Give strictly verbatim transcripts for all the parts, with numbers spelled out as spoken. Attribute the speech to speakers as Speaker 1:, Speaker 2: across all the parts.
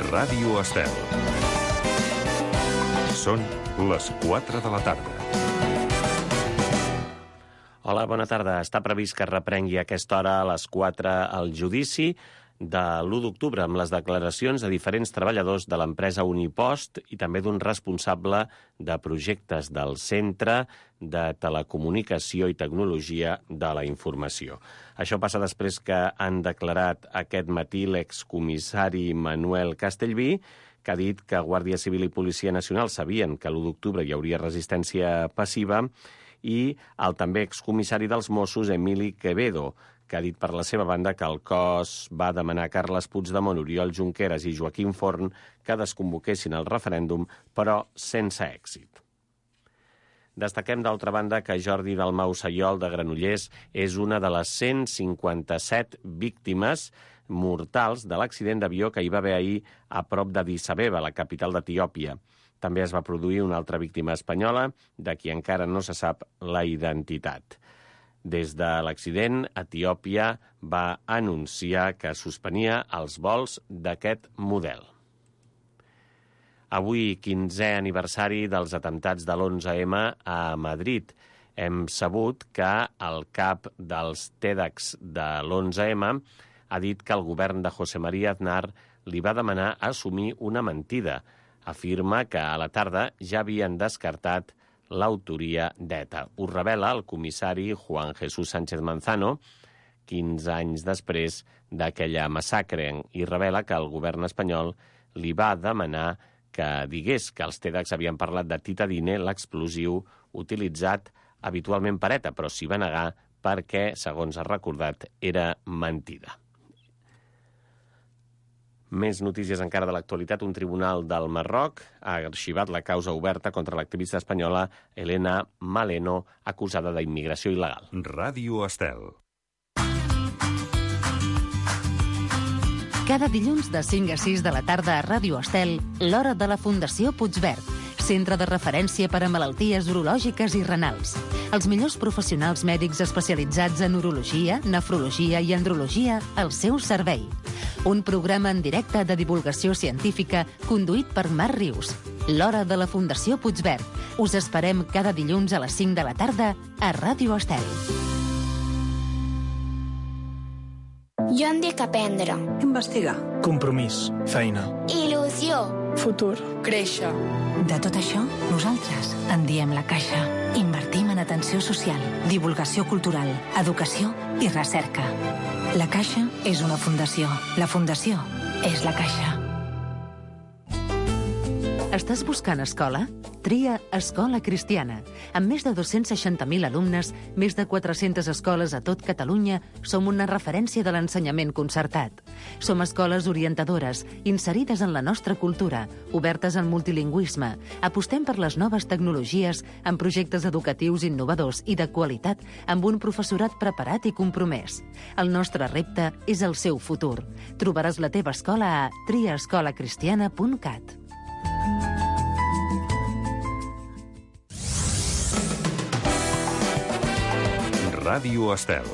Speaker 1: Ràdio Estel. Són les quatre de la tarda.
Speaker 2: Hola, bona tarda. Està previst que reprengui a aquesta hora a les quatre el judici de l'u d'octubre amb les declaracions de diferents treballadors de l'empresa Unipost i també d'un responsable de projectes del Centre de Telecomunicació i Tecnologia de la Informació. Això passa després que han declarat aquest matí l'excomissari Manuel Castellví, que ha dit que Guàrdia Civil i Policia Nacional sabien que l'u d'octubre hi hauria resistència passiva, i el també excomissari dels Mossos, Emili Quevedo, que ha dit per la seva banda que el cos va demanar a Carles Puigdemont, Oriol Junqueras i Joaquim Forn que desconvoquessin el referèndum, però sense èxit. Destaquem, d'altra banda, que Jordi Dalmau Sayol, de Granollers, és una de les cent cinquanta-set víctimes mortals de l'accident d'avió que hi va haver ahir a prop d'Addis Abeba, la capital d'Etiòpia. També es va produir una altra víctima espanyola, de qui encara no se sap la identitat. Des de l'accident, Etiòpia va anunciar que suspenia els vols d'aquest model. Avui, quinzè aniversari dels atemptats de l'onze eme a Madrid. Hem sabut que el cap dels TEDx de l'onze eme ha dit que el govern de José María Aznar li va demanar assumir una mentida. Afirma que a la tarda ja havien descartat l'autoria d'ETA. Ho revela el comissari Juan Jesús Sánchez Manzano, quinze anys després d'aquella massacre, i revela que el govern espanyol li va demanar que digués que els TEDx havien parlat de titadine, l'explosiu utilitzat habitualment per ETA, però s'hi va negar perquè, segons ha recordat, era mentida. Més notícies encara de l'actualitat. Un tribunal del Marroc ha arxivat la causa oberta contra l'activista espanyola Elena Maleno, acusada d'immigració il·legal.
Speaker 1: Ràdio Estel.
Speaker 3: Cada dilluns de cinc a sis de la tarda a Ràdio Estel, l'hora de la Fundació Puigverd, centre de referència per a malalties urològiques i renals. Els millors professionals mèdics especialitzats en urologia, nefrologia i andrologia al seu servei. Un programa en directe de divulgació científica conduït per Marc Rius. L'hora de la Fundació Puigverd. Us esperem cada dilluns a les cinc de la tarda a Ràdio Estel.
Speaker 4: Jo em dic aprendre.
Speaker 5: Investigar.
Speaker 6: Compromís. Feina.
Speaker 4: Il·lusió.
Speaker 5: Futur.
Speaker 7: Créixer.
Speaker 8: De tot això, nosaltres en diem la Caixa. Invertim en atenció social, divulgació cultural, educació i recerca. La Caixa és una fundació. La fundació és la Caixa.
Speaker 3: Estàs buscant escola? Tria Escola Cristiana. Amb més de dos-cents seixanta mil alumnes, més de quatre-centes escoles a tot Catalunya, som una referència de l'ensenyament concertat. Som escoles orientadores, inserides en la nostra cultura, obertes al multilingüisme. Apostem per les noves tecnologies, amb projectes educatius innovadors i de qualitat, amb un professorat preparat i compromès. El nostre repte és el seu futur. Trobaràs la teva escola a tria escola cristiana punt cat.
Speaker 1: Ràdio Estel.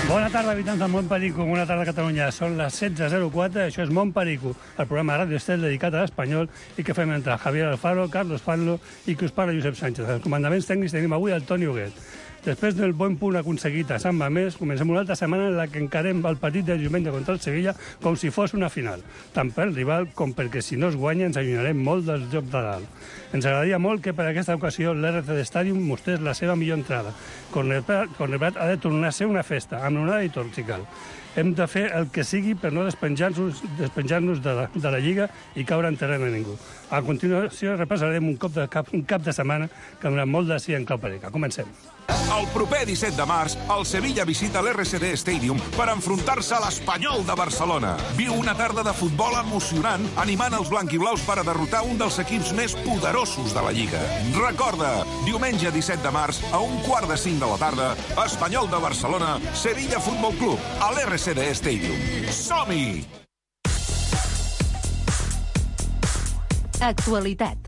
Speaker 9: Bona tarda, habitants del Mont Perico. Bona tarda, Catalunya. Són les setze zero quatre, això és Mont Perico, el programa de Ràdio Estel dedicat a l'espanyol i que fem entre Javier Alfaro, Carlos Fanlo i que us parla Josep Sánchez. Els comandaments tècnics tenim avui el Toni Huguet. Després del bon punt aconseguit a Sant Mamés, comencem una altra setmana en la que encarem el partit de diumenge contra el Sevilla com si fos una final, tant pel rival com perquè si no es guanya ens allunyarem molt del joc de dalt. Ens agradaria molt que per aquesta ocasió l'R C D Stadium mostrés la seva millor entrada. Cornellà ha de tornar a ser una festa, amb onada i tot, si cal. Hem de fer el que sigui per no despenjar-nos despenjar-nos de, la, de la Lliga i caure en terreny a ningú. A continuació repassarem un cop de cap, un cap de setmana que ha donat molt de sí en clau perica. Comencem.
Speaker 10: El proper disset de març, el Sevilla visita l'R C D Stadium per enfrontar-se a l'Espanyol de Barcelona. Viu una tarda de futbol emocionant, animant els blanquiblaus per a derrotar un dels equips més poderosos de la Lliga. Recorda, diumenge disset de març, a un quart de cinc de la tarda, Espanyol de Barcelona, Sevilla Futbol Club, a l'R C D Stadium. Som-hi!
Speaker 3: Actualitat.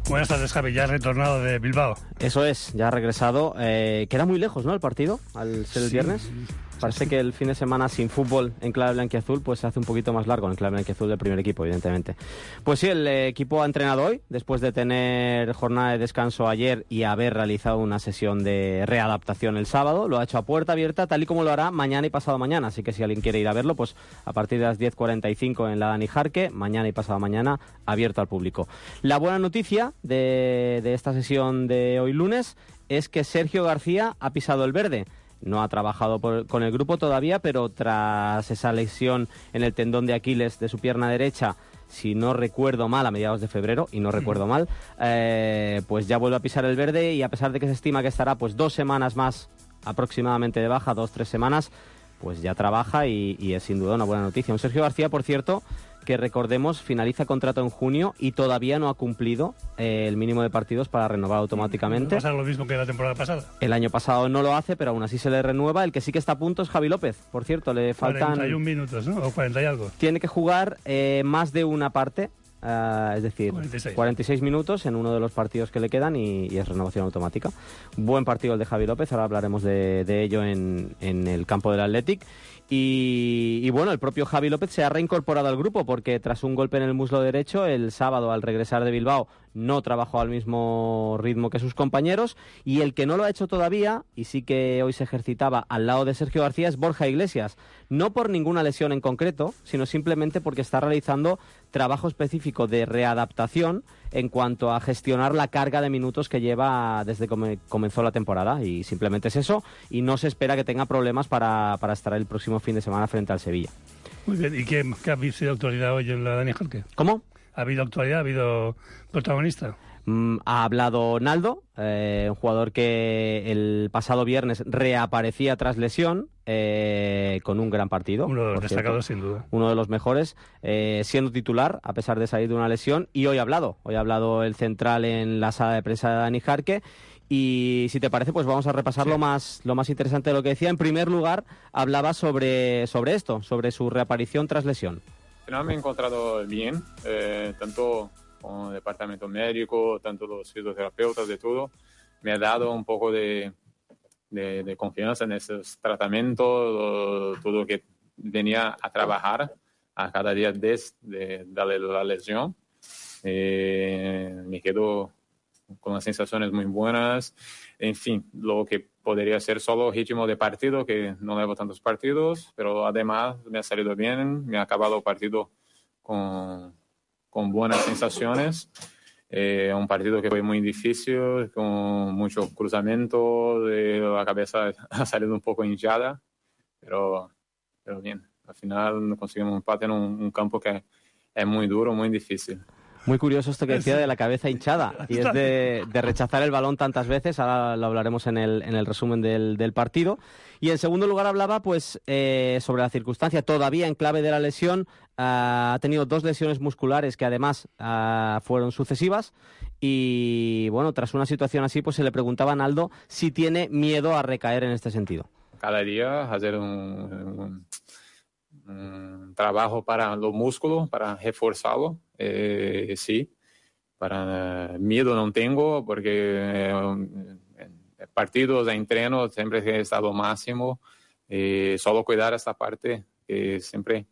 Speaker 9: Buenas tardes, Javi. Ya has retornado de Bilbao.
Speaker 5: Eso es, ya ha regresado. Eh, queda muy lejos, ¿no?, el partido, al ser el
Speaker 9: Sí.
Speaker 5: viernes. Parece que el fin de semana sin fútbol en clave blanquiazul pues se hace un poquito más largo en clave blanquiazul del primer equipo, evidentemente. Pues sí, el eh, equipo ha entrenado hoy, después de tener jornada de descanso ayer y haber realizado una sesión de readaptación el sábado. Lo ha hecho a puerta abierta, tal y como lo hará mañana y pasado mañana. Así que si alguien quiere ir a verlo, pues a partir de las diez cuarenta y cinco en la Dani Jarque, mañana y pasado mañana abierto al público. La buena noticia de, de esta sesión de hoy lunes es que Sergio García ha pisado el verde. No ha trabajado por, con el grupo todavía, pero tras esa lesión en el tendón de Aquiles de su pierna derecha, si no recuerdo mal, a mediados de febrero, y no recuerdo mal, eh, pues ya vuelve a pisar el verde, y a pesar de que se estima que estará pues dos semanas más aproximadamente de baja, dos, tres semanas, pues ya trabaja y, y es sin duda una buena noticia. Un Sergio García, por cierto, que recordemos finaliza contrato en junio y todavía no ha cumplido eh, el mínimo de partidos para renovar automáticamente.
Speaker 9: Va a pasar lo mismo que la temporada pasada.
Speaker 5: El año pasado no lo hace, pero aún así se le renueva. El que sí que está a punto es Javi López. Por cierto, le faltan...
Speaker 9: cuarenta y un minutos, ¿no? O cuarenta y algo.
Speaker 5: Tiene que jugar eh, más de una parte, uh, es decir,
Speaker 9: cuarenta y seis.
Speaker 5: cuarenta y seis minutos en uno de los partidos que le quedan y, y es renovación automática. Buen partido el de Javi López, ahora hablaremos de, de ello en, en el campo del Athletic. Y, y bueno, el propio Javi López se ha reincorporado al grupo porque tras un golpe en el muslo derecho, el sábado al regresar de Bilbao no trabajó al mismo ritmo que sus compañeros, y el que no lo ha hecho todavía, y sí que hoy se ejercitaba al lado de Sergio García, es Borja Iglesias. No por ninguna lesión en concreto, sino simplemente porque está realizando trabajo específico de readaptación en cuanto a gestionar la carga de minutos que lleva desde que comenzó la temporada, y simplemente es eso, y no se espera que tenga problemas para, para estar el próximo fin de semana frente al Sevilla.
Speaker 9: Muy bien. ¿Y qué, qué ha sido actualidad hoy en la Dani Jarque?
Speaker 5: ¿Cómo?
Speaker 9: ¿Ha habido actualidad? ¿Ha habido protagonista?
Speaker 5: Mm, ha hablado Naldo, eh, un jugador que el pasado viernes reaparecía tras lesión, eh, con un gran partido.
Speaker 9: Uno de los
Speaker 5: por
Speaker 9: destacados,
Speaker 5: cierto.
Speaker 9: sin duda.
Speaker 5: Uno de los mejores, eh, siendo titular, a pesar de salir de una lesión. Y hoy ha hablado. Hoy ha hablado el central en la sala de prensa de Dani Jarque. Y si te parece, pues vamos a repasar sí. lo más lo más interesante de lo que decía. En primer lugar, hablaba sobre, sobre esto, sobre su reaparición tras lesión.
Speaker 7: Al final me he encontrado bien, eh, tanto con el departamento médico, tanto los fisioterapeutas, de todo. Me ha dado un poco de, de, de confianza en esos tratamientos, lo, todo lo que venía a trabajar a cada día desde de, de la lesión. Eh, me quedo con las sensaciones muy buenas. En fin, lo que podría ser solo ritmo de partido, que no llevo tantos partidos, pero además me ha salido bien, me ha acabado el partido con, con buenas sensaciones. Eh, un partido que fue muy difícil, con mucho cruzamiento, de la cabeza ha salido un poco hinchada, pero, pero bien. Al final conseguimos un empate en un, un campo que es muy duro, muy difícil.
Speaker 5: Muy curioso esto que decía de la cabeza hinchada, y es de, de rechazar el balón tantas veces. Ahora lo hablaremos en el, en el resumen del, del partido. Y en segundo lugar hablaba pues eh, sobre la circunstancia, todavía en clave de la lesión. Uh, ha tenido dos lesiones musculares que además uh, fueron sucesivas, y bueno, tras una situación así pues se le preguntaba a Naldo si tiene miedo a recaer en este sentido.
Speaker 7: Cada día hacer un, un, un trabajo para los músculos, para reforzarlo. Eh, sí, para uh, miedo no tengo, porque eh, en partidos, en entrenos, siempre he estado máximo. Eh, solo cuidar esta parte que siempre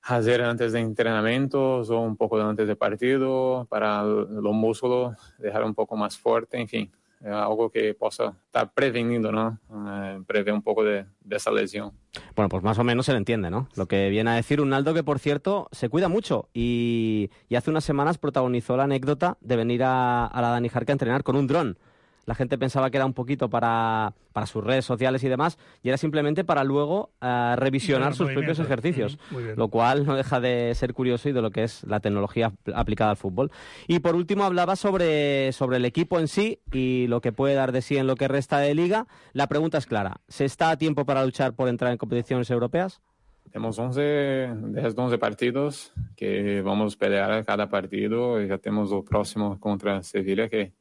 Speaker 7: hacer antes de entrenamientos o un poco antes de partido, para los músculos dejar un poco más fuerte, en fin. Algo que possa estar preveniendo, ¿no? Eh, prever un poco de, de esa lesión.
Speaker 5: Bueno, pues más o menos se le entiende, ¿no? Lo que viene a decir un Naldo que, por cierto, se cuida mucho y, y hace unas semanas protagonizó la anécdota de venir a, a la Dani Jarque a entrenar con un dron. La gente pensaba que era un poquito para, para sus redes sociales y demás, y era simplemente para luego uh, revisionar sus propios ejercicios, uh-huh. Lo cual no deja de ser curioso y de lo que es la tecnología aplicada al fútbol. Y por último hablaba sobre, sobre el equipo en sí y lo que puede dar de sí en lo que resta de liga. La pregunta es clara: ¿se está a tiempo para luchar por entrar en competiciones europeas?
Speaker 7: Tenemos once, diez, once partidos que vamos a pelear cada partido, y ya tenemos el próximo contra Sevilla, que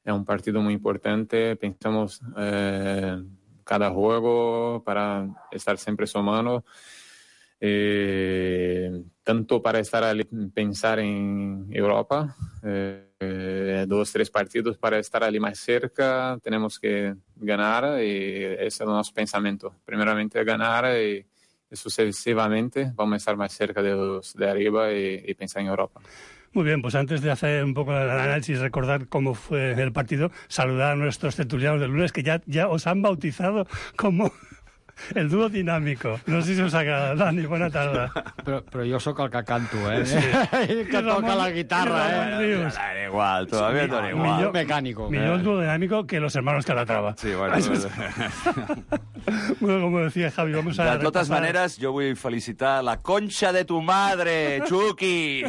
Speaker 7: es un partido muy importante. Pensamos eh, cada juego para estar siempre sumando. Eh, tanto para estar ali, pensar en Europa, eh, dos, tres partidos para estar ali más cerca, tenemos que ganar y ese es nuestro pensamiento. Primeramente ganar y, y sucesivamente vamos a estar más cerca de los de arriba y, y pensar en Europa.
Speaker 9: Muy bien, pues antes de hacer un poco el análisis, recordar cómo fue el partido, saludar a nuestros tertulianos del lunes que ya, ya os han bautizado como... el dúo dinámico. No sé si us agrada. Dani, bona tarda.
Speaker 11: Però, però jo sóc el que canto, eh?
Speaker 9: Sí.
Speaker 11: que toca la guitarra, eh?
Speaker 2: Da igual, todavía da igual.
Speaker 9: Millor,
Speaker 11: mecánico.
Speaker 9: Millor el dúo dinámico que los hermanos Calatrava.
Speaker 12: Sí, bueno.
Speaker 9: Bueno, como decía Javi, vamos a...
Speaker 12: De totes
Speaker 9: repasar...
Speaker 12: maneres, jo vull felicitar la concha de tu madre, Chucky.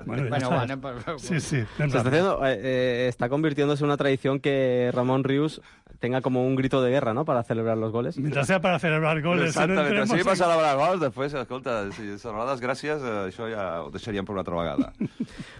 Speaker 11: Bueno, bueno, va, anem per...
Speaker 9: Sí, sí.
Speaker 5: Se está, haciendo, eh, está convirtiéndose en una tradición que Ramón Rius tenga como un grito de guerra, ¿no?, para celebrar los goles.
Speaker 9: Mientras sea para celebrar goles.
Speaker 12: Exactament,
Speaker 9: no
Speaker 12: si passa a celebrar gols, després, escolta, si no les gràcies, això ja ho deixaríem per una altra vegada.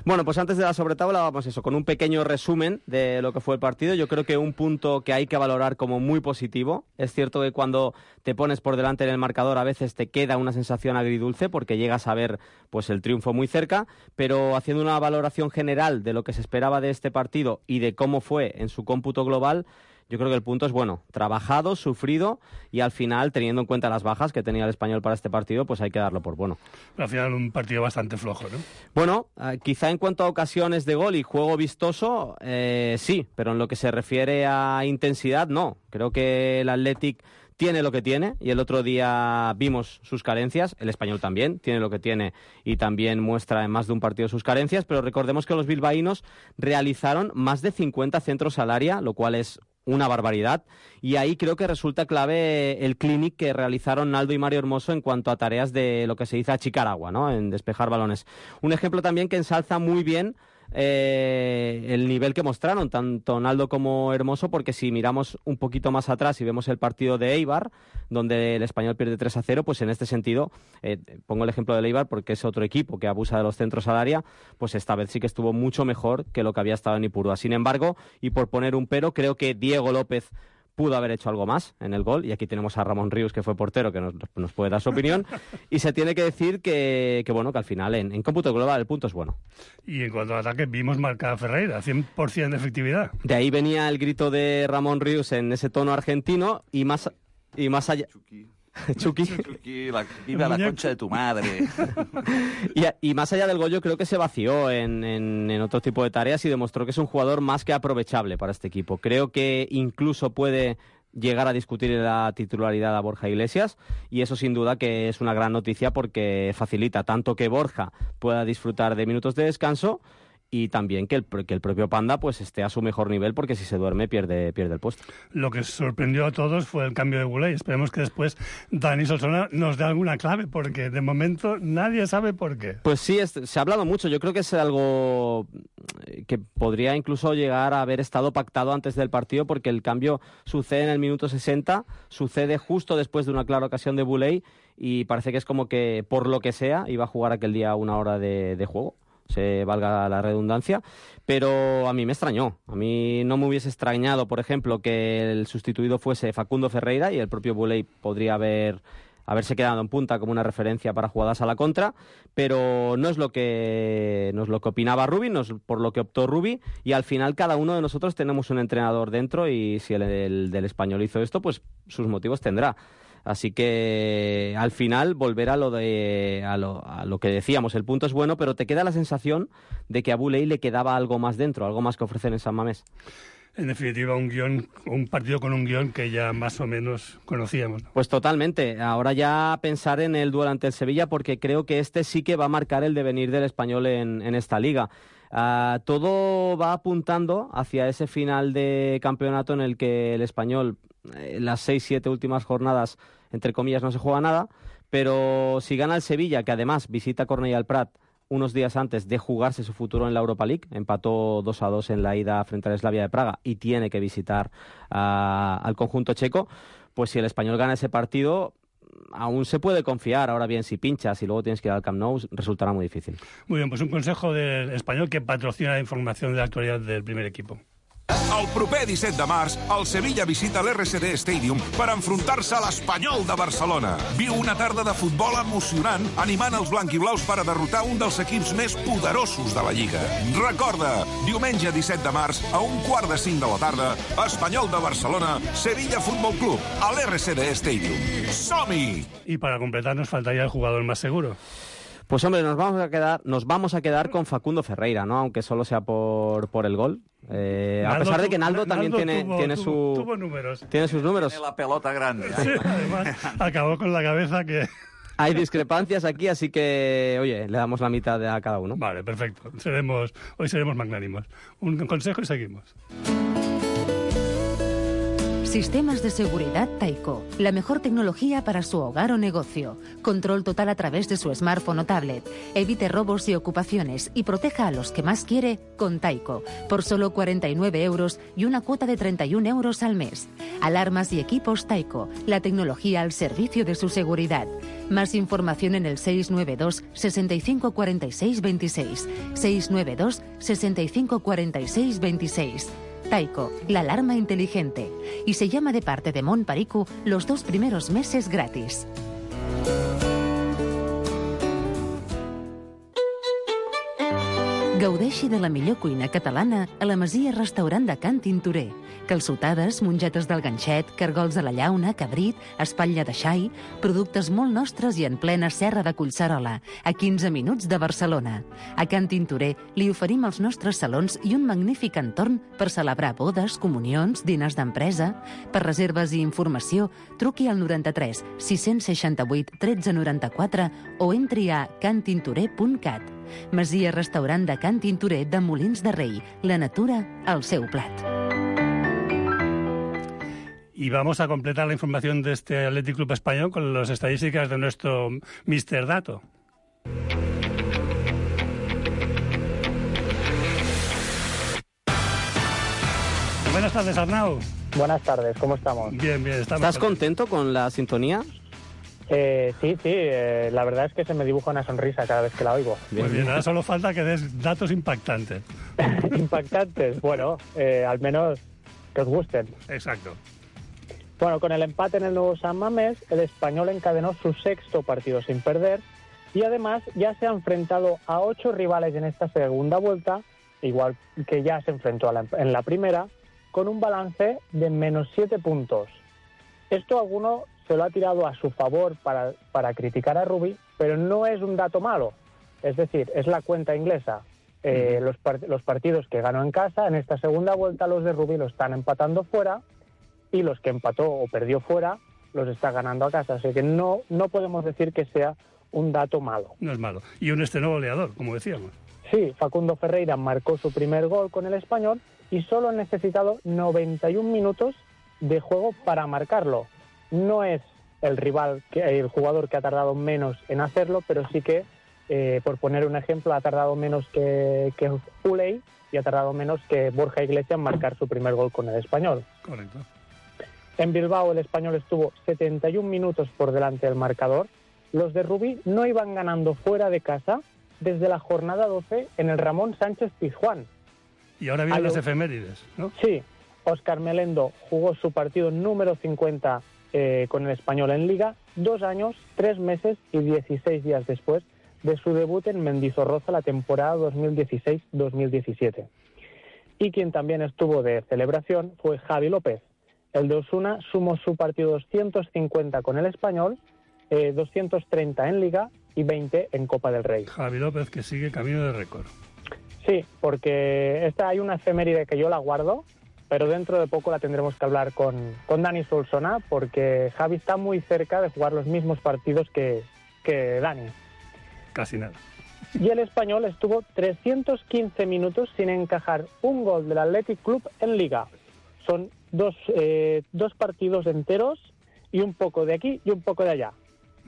Speaker 5: Bueno, pues antes de la sobretabla vamos eso, con un pequeño resumen de lo que fue el partido. Yo creo que un punto que hay que valorar como muy positivo. Es cierto que cuando te pones por delante en el marcador a veces te queda una sensación agridulce porque llegas a ver pues el triunfo muy cerca, pero haciendo una valoración general de lo que se esperaba de este partido y de cómo fue en su cómputo global, yo creo que el punto es bueno, trabajado, sufrido y al final, teniendo en cuenta las bajas que tenía el Español para este partido, pues hay que darlo por bueno.
Speaker 9: Pero al final un partido bastante flojo, ¿no?
Speaker 5: Bueno, eh, quizá en cuanto a ocasiones de gol y juego vistoso, eh, sí, pero en lo que se refiere a intensidad, no. Creo que el Athletic tiene lo que tiene y el otro día vimos sus carencias, el Español también tiene lo que tiene y también muestra en más de un partido sus carencias, pero recordemos que los bilbaínos realizaron más de cincuenta centros al área, lo cual es una barbaridad, y ahí creo que resulta clave el clinic que realizaron Naldo y Mario Hermoso en cuanto a tareas de lo que se dice achicar agua, ¿no?, en despejar balones. Un ejemplo también que ensalza muy bien eh, el nivel que mostraron tanto Naldo como Hermoso, porque si miramos un poquito más atrás y vemos el partido de Eibar, donde el Español pierde tres a cero, pues en este sentido, eh, pongo el ejemplo del Eibar porque es otro equipo que abusa de los centros al área, pues esta vez sí que estuvo mucho mejor que lo que había estado en Ipurúa. Sin embargo, y por poner un pero, creo que Diego López pudo haber hecho algo más en el gol, y aquí tenemos a Ramón Rius, que fue portero, que nos, nos puede dar su opinión, y se tiene que decir que, que bueno, que al final en, en cómputo global el punto es bueno.
Speaker 9: Y en cuanto al ataque, vimos marcar a Ferreira, cien por ciento de efectividad.
Speaker 5: De ahí venía el grito de Ramón Rius en ese tono argentino, y más, y más allá... Chucky.
Speaker 12: Chucky, la, viva la concha de tu madre.
Speaker 5: y, y más allá del gol, yo creo que se vació en, en, en otro tipo de tareas y demostró que es un jugador más que aprovechable para este equipo. Creo que incluso puede llegar a discutir la titularidad a Borja Iglesias, y eso sin duda que es una gran noticia porque facilita tanto que Borja pueda disfrutar de minutos de descanso y también que el, que el propio Panda pues esté a su mejor nivel, porque si se duerme pierde, pierde el puesto.
Speaker 9: Lo que sorprendió a todos fue el cambio de Boulay. Esperemos que después Dani Solsona nos dé alguna clave, porque de momento nadie sabe por qué.
Speaker 5: Pues sí, es, se ha hablado mucho. Yo creo que es algo que podría incluso llegar a haber estado pactado antes del partido, porque el cambio sucede en el minuto sesenta, sucede justo después de una clara ocasión de Boulay, y parece que es como que, por lo que sea, iba a jugar aquel día una hora de, de juego. Se valga la redundancia, pero a mí me extrañó. A mí no me hubiese extrañado, por ejemplo, que el sustituido fuese Facundo Ferreira, y el propio Boulay podría haber haberse quedado en punta como una referencia para jugadas a la contra, pero no es lo que no es lo que opinaba Rubi, no es por lo que optó Rubi, y al final cada uno de nosotros tenemos un entrenador dentro, y si el, el del Español hizo esto, pues sus motivos tendrá. Así que al final volver a lo de a lo, a lo que decíamos, el punto es bueno, pero te queda la sensación de que a Boulay le quedaba algo más dentro, algo más que ofrecer en San Mamés.
Speaker 9: En definitiva, un guión, un partido con un guión que ya más o menos conocíamos, ¿no?
Speaker 5: Pues totalmente. Ahora ya pensar en el duelo ante el Sevilla, porque creo que este sí que va a marcar el devenir del Español en, en esta liga. Uh, todo va apuntando hacia ese final de campeonato en el que el Español, eh, las seis, siete últimas jornadas, entre comillas, no se juega nada, pero si gana el Sevilla, que además visita Cornellà al Prat unos días antes de jugarse su futuro en la Europa League, empató dos a dos en la ida frente al Slavia de Praga y tiene que visitar uh, al conjunto checo, pues si el Español gana ese partido, aún se puede confiar. Ahora bien, si pinchas y luego tienes que ir al Camp Nou, resultará muy difícil.
Speaker 9: Muy bien, pues un consejo del Español que patrocina la información de la actualidad del primer equipo.
Speaker 10: El proper disset de març, el Sevilla visita l'R C D Stadium per enfrontar-se a l'Espanyol de Barcelona. Viu una tarda de futbol emocionant animant els blanquiblaus per a derrotar un dels equips més poderosos de la Lliga. Recorda, diumenge disset de març, a un quart de cinc de la tarda, Espanyol de Barcelona, Sevilla Fútbol Club, a l'R C D Stadium. ¡Som-hi!
Speaker 9: Y para completar nos faltaría el jugador más seguro.
Speaker 5: Pues hombre, nos vamos a quedar, nos vamos a quedar con Facundo Ferreira, ¿no? Aunque solo sea por, por el gol. Eh, a pesar de que Naldo, Naldo también tiene,
Speaker 9: tuvo,
Speaker 5: tiene,
Speaker 9: tuvo,
Speaker 5: su,
Speaker 9: tuvo números.
Speaker 5: tiene sus números.
Speaker 12: Tiene la pelota grande.
Speaker 9: Sí, además, acabó con la cabeza que...
Speaker 5: Hay discrepancias aquí, así que, oye, le damos la mitad a cada uno.
Speaker 9: Vale, perfecto. Seremos, hoy seremos magnánimos. Un consejo y seguimos.
Speaker 3: Sistemas de seguridad Taiko. La mejor tecnología para su hogar o negocio. Control total a través de su smartphone o tablet. Evite robos y ocupaciones y proteja a los que más quiere con Taiko. Por solo cuarenta y nueve euros y una cuota de treinta y un euros al mes. Alarmas y equipos Taiko. La tecnología al servicio de su seguridad. Más información en el seis nueve dos, sesenta y cinco cuarenta y seis veintiséis. seis nueve dos, sesenta y cinco cuarenta y seis veintiséis. Taiko, la alarma inteligente. Y se llama de parte de Mont Paricu los dos primeros meses gratis. Gaudeixi de la millor cuina catalana a la Masia Restaurant de Can Tintorer. Calçotades, mongetes del ganxet, cargols a la llauna, cabrit, espatlla de xai, productes molt nostres i en plena serra de Collserola, a quinze minuts de Barcelona. A Can Tintorer li oferim els nostres salons i un magnífic entorn per celebrar bodes, comunions, diners d'empresa. Per reserves i informació, truqui al noranta-tres sis seixanta-vuit tretze noranta-quatre o entri a can tintorer punt cat. Masia Restaurant de Can Tintorer de Molins de Rei. La natura al seu plat.
Speaker 9: Y vamos a completar la información de este Athletic Club español con las estadísticas de nuestro mister Dato. Buenas tardes, Arnau.
Speaker 13: Buenas tardes, ¿cómo estamos?
Speaker 9: Bien, bien, estamos.
Speaker 5: ¿Estás contento con la sintonía?
Speaker 13: Eh, sí, sí, eh, la verdad es que se me dibuja una sonrisa cada vez que la oigo.
Speaker 9: Muy bien, ahora solo falta que des datos impactantes.
Speaker 13: Impactantes, bueno, eh, al menos que os gusten.
Speaker 9: Exacto.
Speaker 13: Bueno, con el empate en el nuevo San Mamés, el Español encadenó su sexto partido sin perder y además ya se ha enfrentado a ocho rivales en esta segunda vuelta, igual que ya se enfrentó a la, en la primera, con un balance de menos siete puntos. Esto alguno se lo ha tirado a su favor para, para criticar a Rubí, pero no es un dato malo. Es decir, es la cuenta inglesa. Eh, uh-huh. los, part- los partidos que ganó en casa, en esta segunda vuelta los de Rubí los están empatando fuera y los que empató o perdió fuera los está ganando a casa. Así que no, no podemos decir que sea un dato malo.
Speaker 9: No es malo. Y un estreno goleador, como decíamos.
Speaker 13: Sí, Facundo Ferreira marcó su primer gol con el Español y solo ha necesitado noventa y un minutos de juego para marcarlo. No es el rival, que, el jugador que ha tardado menos en hacerlo, pero sí que, eh, por poner un ejemplo, ha tardado menos que, que Uley y ha tardado menos que Borja Iglesias en marcar su primer gol con el Español.
Speaker 9: Correcto.
Speaker 13: En Bilbao el Español estuvo setenta y un minutos por delante del marcador. Los de Rubí no iban ganando fuera de casa desde la jornada doce en el Ramón Sánchez Pizjuán.
Speaker 9: Y ahora vienen las efemérides, ¿no?
Speaker 13: Sí. Óscar Melendo jugó su partido número cincuenta eh, con el Español en Liga, dos años, tres meses y dieciséis días después de su debut en Mendizorroza la temporada dos mil dieciséis dos mil diecisiete. Y quien también estuvo de celebración fue Javi López. El de Osuna sumó su partido doscientos cincuenta con el Español, eh, doscientos treinta en Liga y veinte en Copa del Rey.
Speaker 9: Javi López, que sigue camino de récord.
Speaker 13: Sí, porque esta hay una efeméride que yo la guardo, pero dentro de poco la tendremos que hablar con, con Dani Solsona, porque Javi está muy cerca de jugar los mismos partidos que, que Dani.
Speaker 9: Casi nada.
Speaker 13: Y el Español estuvo trescientos quince minutos sin encajar un gol del Athletic Club en Liga. Son dos, eh, dos partidos enteros y un poco de aquí y un poco de allá.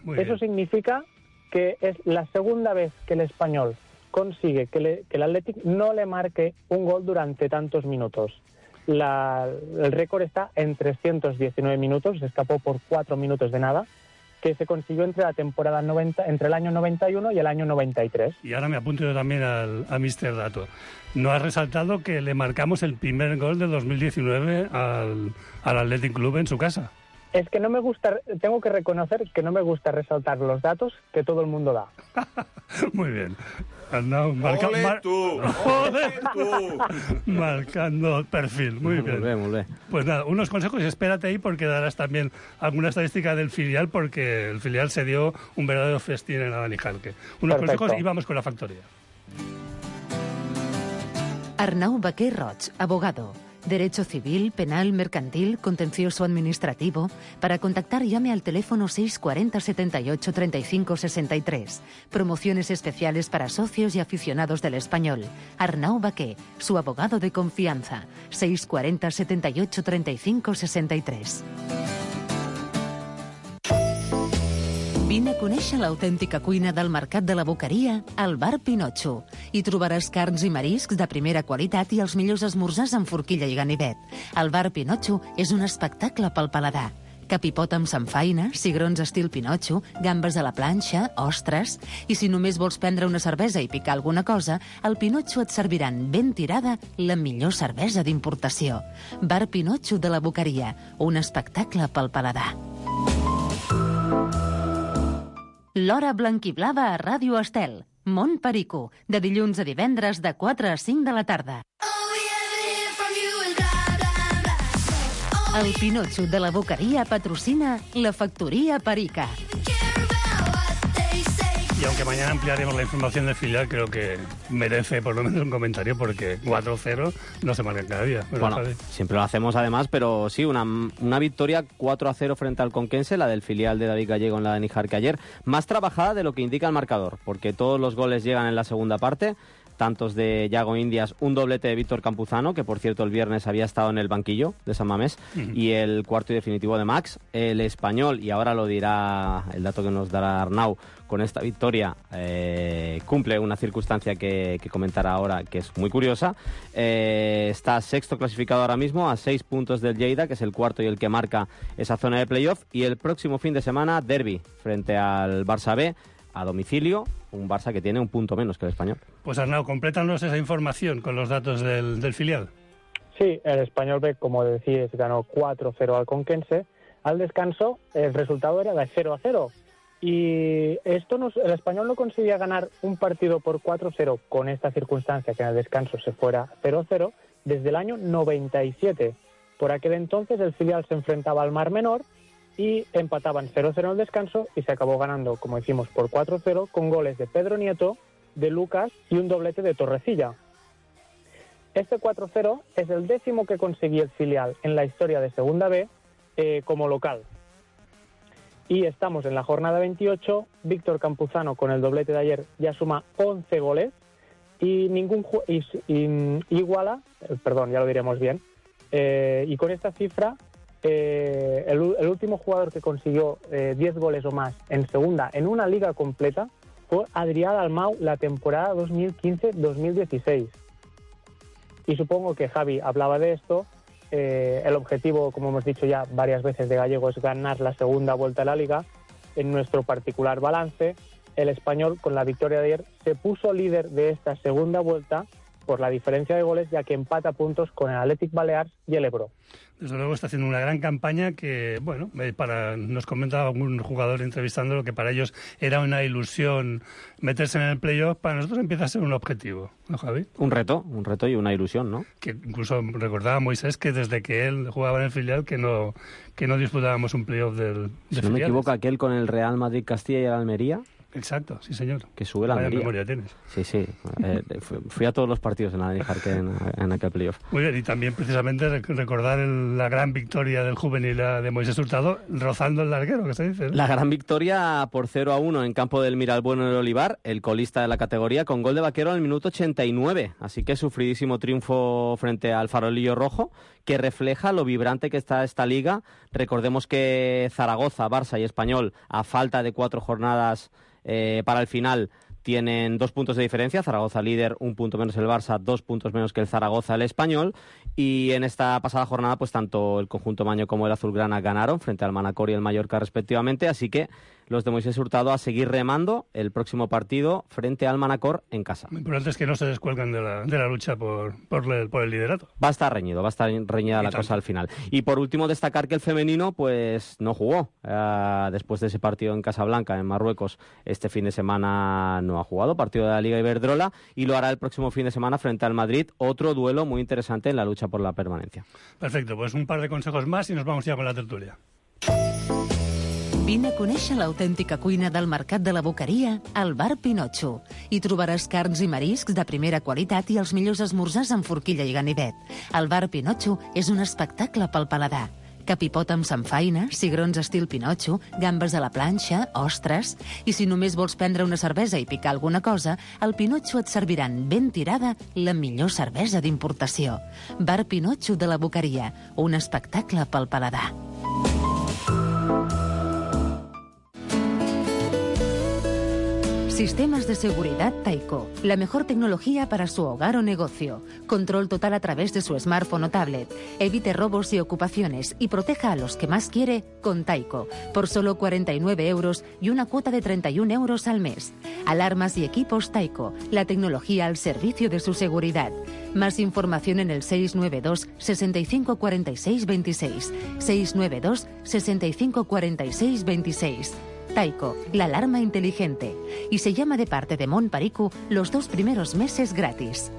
Speaker 9: Muy
Speaker 13: Eso
Speaker 9: bien.
Speaker 13: significa que es la segunda vez que el Español consigue que, le, que el Athletic no le marque un gol durante tantos minutos. La, el récord está en trescientos diecinueve minutos, se escapó por cuatro minutos de nada, que se consiguió entre la temporada noventa, entre el año noventa y uno y el año noventa y tres.
Speaker 9: Y ahora me apunto yo también al, a míster Dato. No has resaltado que le marcamos el primer gol de dos mil diecinueve al, al Athletic Club en su casa.
Speaker 13: Es que no me gusta, tengo que reconocer que no me gusta resaltar los datos que todo el mundo da.
Speaker 9: Muy bien. Arnau, marca,
Speaker 12: ¡Ole
Speaker 9: mar...
Speaker 12: tú!
Speaker 9: ¡Ole tú! Marcando perfil. Muy bien.
Speaker 5: Muy bien, muy bien.
Speaker 9: Pues nada, unos consejos y espérate ahí porque darás también alguna estadística del filial porque el filial se dio un verdadero festín en la Dani Jarque. Unos
Speaker 13: Perfecto.
Speaker 9: consejos y vamos con la factoría.
Speaker 3: Arnau Baquer Roig, abogado. Derecho civil, penal, mercantil, contencioso administrativo. Para contactar llame al teléfono seis cuarenta setenta y ocho treinta y cinco sesenta y tres. Promociones especiales para socios y aficionados del español. Arnau Baquer, su abogado de confianza. seis cuarenta setenta y ocho treinta y cinco sesenta y tres. Vine a conèixer l'autèntica cuina del Mercat de la Boqueria al Bar Pinotxo. Hi trobaràs carns i mariscs de primera qualitat i els millors esmorzars amb forquilla i ganivet. El Bar Pinotxo és un espectacle pel paladar. Capipot amb samfaina, cigrons estil Pinotxo, gambes a la planxa, ostres... I si només vols prendre una cervesa i picar alguna cosa, al Pinotxo et serviran ben tirada la millor cervesa d'importació. Bar Pinotxo de la Boqueria, un espectacle pel paladar. L'Hora Blanquiblava a Ràdio Estel. Mont Perico, de dilluns a divendres de quatre a cinc de la tarda. El Pinotxo de la Boqueria patrocina la Factoría Perica.
Speaker 9: Y aunque mañana ampliaremos la información del filial, creo que merece por lo menos un comentario porque cuatro cero no se marca cada día.
Speaker 5: Bueno, bueno siempre lo hacemos además, pero sí, una, una victoria cuatro a cero frente al Conquense, la del filial de David Gallego en la de Níjar que ayer, más trabajada de lo que indica el marcador, porque todos los goles llegan en la segunda parte, tantos de Yago Indias, un doblete de Víctor Campuzano, que por cierto el viernes había estado en el banquillo de San Mamés, uh-huh. y el cuarto y definitivo de Max, el español, y ahora lo dirá el dato que nos dará Arnau, con esta victoria eh, cumple una circunstancia que, que comentará ahora, que es muy curiosa. Eh, está sexto clasificado ahora mismo, a seis puntos del Lleida, que es el cuarto y el que marca esa zona de playoff, y el próximo fin de semana, derbi frente al Barça B, a domicilio, un Barça que tiene un punto menos que el Español.
Speaker 9: Pues Arnau, complétanos esa información con los datos del, del filial.
Speaker 13: Sí, el Español B, como decís, ganó cuatro cero al Conquense. Al descanso, el resultado era de cero a cero. Y esto nos, el Español no conseguía ganar un partido por cuatro cero con esta circunstancia, que en el descanso se fuera cero cero, desde el año noventa y siete. Por aquel entonces el filial se enfrentaba al Mar Menor y empataban cero cero en el descanso y se acabó ganando, como decimos, por cuatro cero con goles de Pedro Nieto, de Lucas y un doblete de Torrecilla. Este cuatro cero es el décimo que conseguía el filial en la historia de Segunda B eh, como local. Y estamos en la jornada veintiocho, Víctor Campuzano con el doblete de ayer ya suma once goles y ningún y, y, iguala, perdón, ya lo diremos bien, eh, y con esta cifra eh, el, el último jugador que consiguió eh, diez goles o más en segunda en una liga completa fue Adrià Dalmau la temporada dos mil quince dos mil dieciséis. Y supongo que Javi hablaba de esto. Eh, el objetivo, como hemos dicho ya varias veces de Gallego, es ganar la segunda vuelta de la Liga. En nuestro particular balance, el Español, con la victoria de ayer, se puso líder de esta segunda vuelta por la diferencia de goles, ya que empata puntos con el Athletic Balears y el Ebro.
Speaker 9: Desde luego está haciendo una gran campaña que, bueno, para nos comentaba algún jugador entrevistándolo que para ellos era una ilusión meterse en el playoff, para nosotros empieza a ser un objetivo, ¿no, Javi?
Speaker 5: Un reto, un reto y una ilusión, ¿no?
Speaker 9: Que incluso recordaba a Moisés que desde que él jugaba en el filial que no que no disputábamos un playoff del de
Speaker 5: Si no
Speaker 9: filiales.
Speaker 5: me equivoco, aquel con el Real Madrid Castilla y el Almería.
Speaker 9: Exacto, sí señor.
Speaker 5: Que sube la Almería.
Speaker 9: memoria tienes.
Speaker 5: Sí, sí. Eh, fui a todos los partidos en la Dani Jarque en, en aquel playoff.
Speaker 9: Muy bien, y también precisamente recordar el, la gran victoria del juvenil de Moisés Hurtado, rozando el larguero, que se dice, ¿no?
Speaker 5: La gran victoria por cero a uno en campo del Miralbueno del Olivar, el colista de la categoría, con gol de Vaquero en el minuto ochenta y nueve. Así que sufridísimo triunfo frente al Farolillo Rojo, que refleja lo vibrante que está esta liga. Recordemos que Zaragoza, Barça y Español, a falta de cuatro jornadas Eh, para el final, tienen dos puntos de diferencia, Zaragoza líder, un punto menos el Barça, dos puntos menos que el Zaragoza, el Español, y en esta pasada jornada pues tanto el conjunto maño como el azulgrana ganaron frente al Manacor y el Mallorca respectivamente, así que los de Moisés Hurtado a seguir remando el próximo partido frente al Manacor en casa.
Speaker 9: Lo importante es que no se descuelgan de la, de la lucha por, por, el, por el liderato.
Speaker 5: Va a estar reñido, va a estar reñida y la tanto. cosa al final. Y por último destacar que el femenino pues no jugó. Uh, después de ese partido en Casablanca, en Marruecos, este fin de semana no ha jugado, partido de la Liga Iberdrola, y lo hará el próximo fin de semana frente al Madrid, otro duelo muy interesante en la lucha por la permanencia.
Speaker 9: Perfecto, pues un par de consejos más y nos vamos ya con la tertulia.
Speaker 3: Vine a conèixer l'autèntica cuina del Mercat de la Boqueria al Bar Pinotxo. Hi trobaràs carns i mariscs de primera qualitat i els millors esmorzars amb forquilla i ganivet. El Bar Pinotxo és un espectacle pel paladar. Capipot amb samfaina, cigrons estil Pinotxo, gambes a la planxa, ostres... I si només vols prendre una cervesa i picar alguna cosa, al Pinotxo et serviran ben tirada la millor cervesa d'importació. Bar Pinotxo de la Boqueria, un espectacle pel paladar. Sistemas de seguridad Taiko. La mejor tecnología para su hogar o negocio. Control total a través de su smartphone o tablet. Evite robos y ocupaciones y proteja a los que más quiere con Taiko. Por solo cuarenta y nueve euros y una cuota de treinta y un euros al mes. Alarmas y equipos Taiko. La tecnología al servicio de su seguridad. Más información en el seis nueve dos, sesenta y cinco, cuarenta y seis, veintiséis. seis nueve dos, sesenta y cinco, cuarenta y seis, veintiséis. Taiko, la alarma inteligente. Y se llama de parte de Mont Perico los dos primeros meses gratis.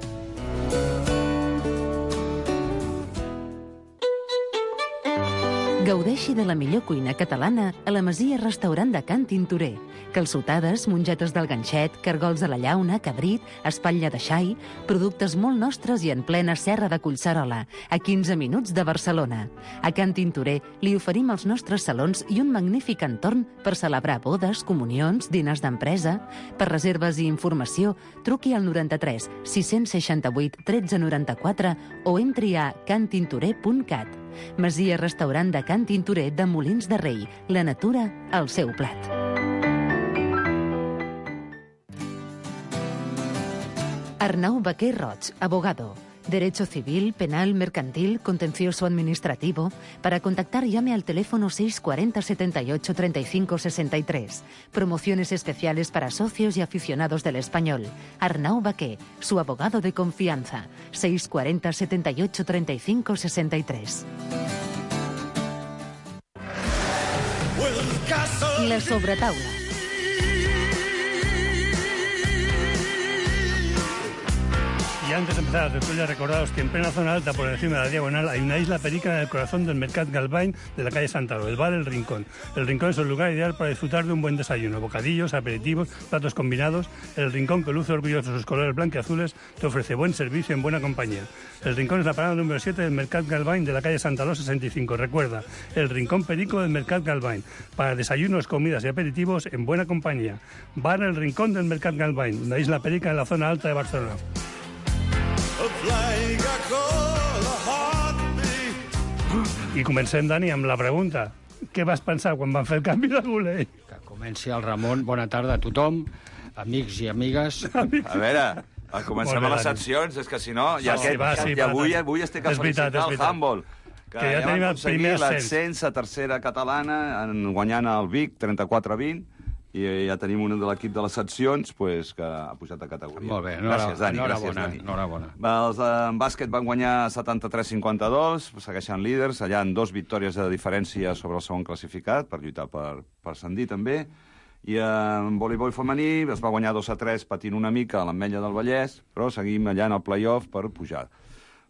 Speaker 3: Gaudeixi de la millor cuina catalana a la Masia Restaurant de Can Tintorer. Calçotades, mongetes del ganxet, cargols de la llauna, cabrit, espatlla de xai, productes molt nostres i en plena serra de Collserola, a quinze minuts de Barcelona. A Can Tintorer li oferim els nostres salons i un magnífic entorn per celebrar bodes, comunions, diners d'empresa. Per reserves i informació, truqui al noranta-tres sis seixanta-vuit tretze noranta-quatre o entri a cantintorer punt cat. Masia Restaurant de Can Tintorer de Molins de Rei. La natura al seu plat. Arnau Baquer Roig, abogado. Derecho civil, penal, mercantil, contencioso administrativo. Para contactar llame al teléfono seis cuarenta, setenta y ocho, treinta y cinco, sesenta y tres. Promociones especiales para socios y aficionados del español. Arnau Baquer, su abogado de confianza. seis cuarenta, setenta y ocho, treinta y cinco, sesenta y tres. La sobretaula.
Speaker 9: Y antes de empezar la tertulia, recordaos que en plena zona alta, por encima de la diagonal, hay una isla perica en el corazón del Mercat Galvany de la calle Santaro, el bar El Rincón. El Rincón es el lugar ideal para disfrutar de un buen desayuno, bocadillos, aperitivos, platos combinados. El Rincón, que luce orgulloso de sus colores blanqueazules, te ofrece buen servicio en buena compañía. El Rincón es la parada número siete del Mercat Galvany de la calle Santaló sesenta y cinco. Recuerda, el Rincón Perico del Mercat Galvany, para desayunos, comidas y aperitivos en buena compañía. Bar El Rincón del Mercat Galvany, la isla perica en la zona alta de Barcelona. I comencem, Dani, amb la pregunta. Què vas pensar quan van fer el canvi de Gulei?
Speaker 11: Que comenci el Ramon. Bona tarda a tothom, amics i amigues.
Speaker 12: A veure, comencem a les seccions, és que si no... Ja
Speaker 9: sí, va, sí,
Speaker 12: I avui, avui estic a felicitar el handball, que,
Speaker 9: que ja, ja tenim el primer
Speaker 12: l'ascens a tercera catalana, guanyant el Vic trenta-quatre a vint, i ja tenim un de l'equip de les seccions pues, que ha pujat a categoria.
Speaker 11: Molt bé,
Speaker 12: gràcies, Dani.
Speaker 11: Gràcies,
Speaker 12: Dani.
Speaker 11: Enhorabona.
Speaker 12: Els en bàsquet van guanyar setanta-tres a cinquanta-dos, segueixen líders, allà en dos victòries de diferència sobre el segon classificat, per lluitar per, per ascendir també. I en voleibol femení es va guanyar dos a tres patint una mica a l'Ametlla del Vallès, però seguim allà en el play-off per pujar.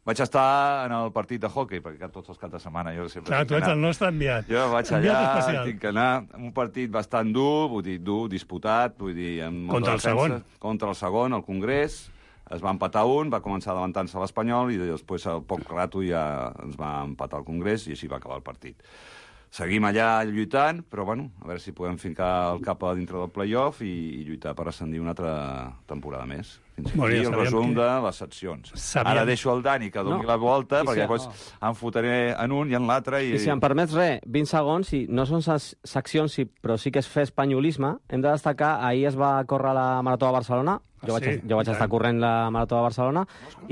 Speaker 12: Vaig estar en el partit de hockey, perquè tots els caps de setmana jo sempre...
Speaker 9: Clar, tu ets el nostre enviat.
Speaker 12: Jo vaig allà, tinc que anar... Un partit bastant dur, vull dir, dur, disputat, vull dir... Amb
Speaker 9: contra el segon.
Speaker 12: Contra el segon, al Congrés. Es va empatar un, va començar adelantant-se l'Espanyol i després, al poc rato, ja ens va empatar el Congrés i així va acabar el partit. seguim allà lluitant, però bueno, a veure si podem fincar el cap a dintre del play-off i, i lluitar per ascendir una altra temporada més. Fins aquí el resum que... de les seccions.
Speaker 9: Sabíem...
Speaker 12: Ara deixo el Dani que doni no. la volta, I perquè si... després no. em fotré en un i en l'altre. I...
Speaker 5: I si em permets res, vint segons, i no són seccions, però sí que és fer espanyolisme, hem de destacar, ahir es va córrer la Marató de Barcelona. Jo vaig, sí, jo vaig estar corrent la Marató de Barcelona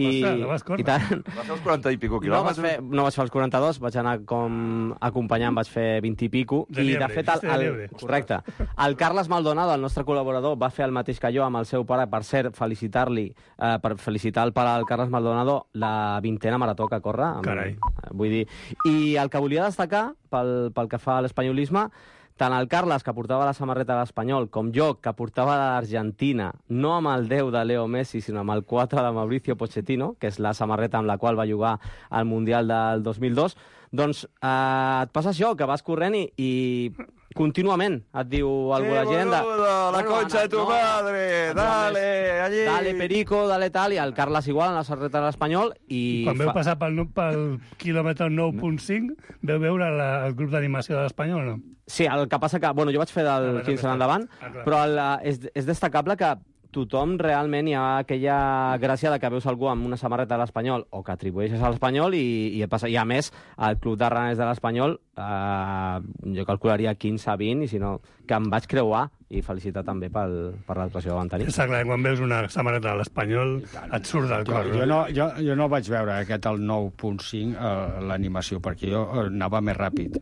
Speaker 5: i,
Speaker 9: no vas
Speaker 5: i tant...
Speaker 12: Vas fer els quaranta i pico
Speaker 5: quilòmetres?
Speaker 12: No
Speaker 5: vaig, fer, no vaig fer els quaranta-dos, vaig anar com acompanyant, vaig fer vint i pico.
Speaker 9: De
Speaker 5: I,
Speaker 9: liebre,
Speaker 5: de fet, el, el, correcte. El Carles Maldonado, el nostre col·laborador, va fer el mateix que jo amb el seu pare, per cert, felicitar-li, eh, per felicitar el pare del Carles Maldonado la vintena marató que corre. Amb,
Speaker 9: Carai.
Speaker 5: Vull dir... I el que volia destacar, pel, pel que fa a l'espanyolisme, tant el Carles, que portava la samarreta de l'Espanyol, com jo, que portava de l'Argentina, no amb el deu de Leo Messi, sinó amb el quatre de Mauricio Pochettino, que és la samarreta amb la qual va jugar al Mundial del dos mil dos, doncs eh, et passa això, que vas corrent i, i contínuament et diu algú
Speaker 12: sí,
Speaker 5: la gent... De,
Speaker 12: boludo, la bueno, concha de tu no, madre, dale, allí...
Speaker 5: Dale, Perico, dale tal, i el Carles igual en la samarreta de l'Espanyol i...
Speaker 9: Quan veu
Speaker 5: fa...
Speaker 9: passar pel, pel quilòmetre nou punt cinc, veu veure la, el grup d'animació de l'Espanyol o no?
Speaker 5: Sí, el que passa que... Bueno, jo vaig fer del quinze en endavant, ah, però el, és, és destacable que tothom realment hi ha aquella gràcia de que veus algú amb una samarreta de l'Espanyol o que atribueixes a l'Espanyol i, i, passa, i a més, el club de raners de l'Espanyol eh, jo calcularia quinze a vint i si no, que em vaig creuar i felicitar també pel, per l'actuació que van tenir.
Speaker 9: Està clar, quan veus una samarreta de l'Espanyol et surt del cor.
Speaker 11: Jo, jo, no, jo, jo no vaig veure aquest el nou punt cinc, eh, l'animació, perquè jo anava més ràpid.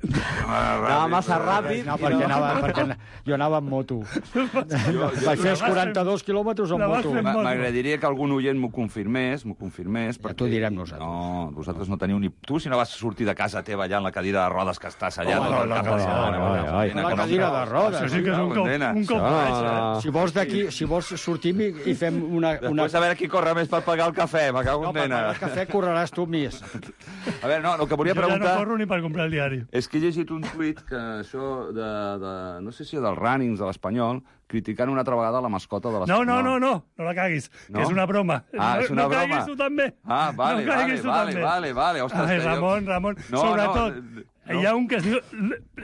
Speaker 5: Anava massa ràpid.
Speaker 11: No, perquè, no. anava, perquè jo anava amb moto. Jo, jo, vaig fer els quaranta-dos quilòmetres amb moto.
Speaker 12: M'agradaria que algun oient m'ho confirmés, m'ho confirmés.
Speaker 11: Ja t'ho direm nosaltres.
Speaker 12: No, vosaltres no teniu ni... Tu, si no vas sortir de casa teva allà en la cadira de rodes que estàs allà...
Speaker 11: Oh,
Speaker 12: no,
Speaker 11: no, la cadira de rodes.
Speaker 9: Això sí que és un cop, un cop baix, eh?
Speaker 11: Si vols d'aquí, si vols sortim i, i fem una... una...
Speaker 12: Després a veure qui corre més per pagar el cafè, me cago en
Speaker 11: no, per
Speaker 12: nena.
Speaker 11: pagar el cafè correràs tu més.
Speaker 12: A veure, no, el que volia
Speaker 9: jo
Speaker 12: preguntar...
Speaker 9: Jo ja no corro ni per comprar el diari.
Speaker 12: És que he llegit un tuit que això de... de no sé si dels runnings de l'Espanyol, criticant una altra vegada la mascota de l'Espanyol.
Speaker 9: No, no, no, no, no la caguis, no? Que és una broma.
Speaker 12: Ah, és una
Speaker 9: no, no
Speaker 12: broma.
Speaker 9: No caguis tu també.
Speaker 12: Ah, vale,
Speaker 9: no
Speaker 12: vale, vale,
Speaker 9: també.
Speaker 12: vale, vale. Ostres,
Speaker 9: Ai, Ramon,
Speaker 12: jo...
Speaker 9: Ramon,
Speaker 12: no,
Speaker 9: sobretot...
Speaker 12: No, no.
Speaker 9: Hi ha un que es diu...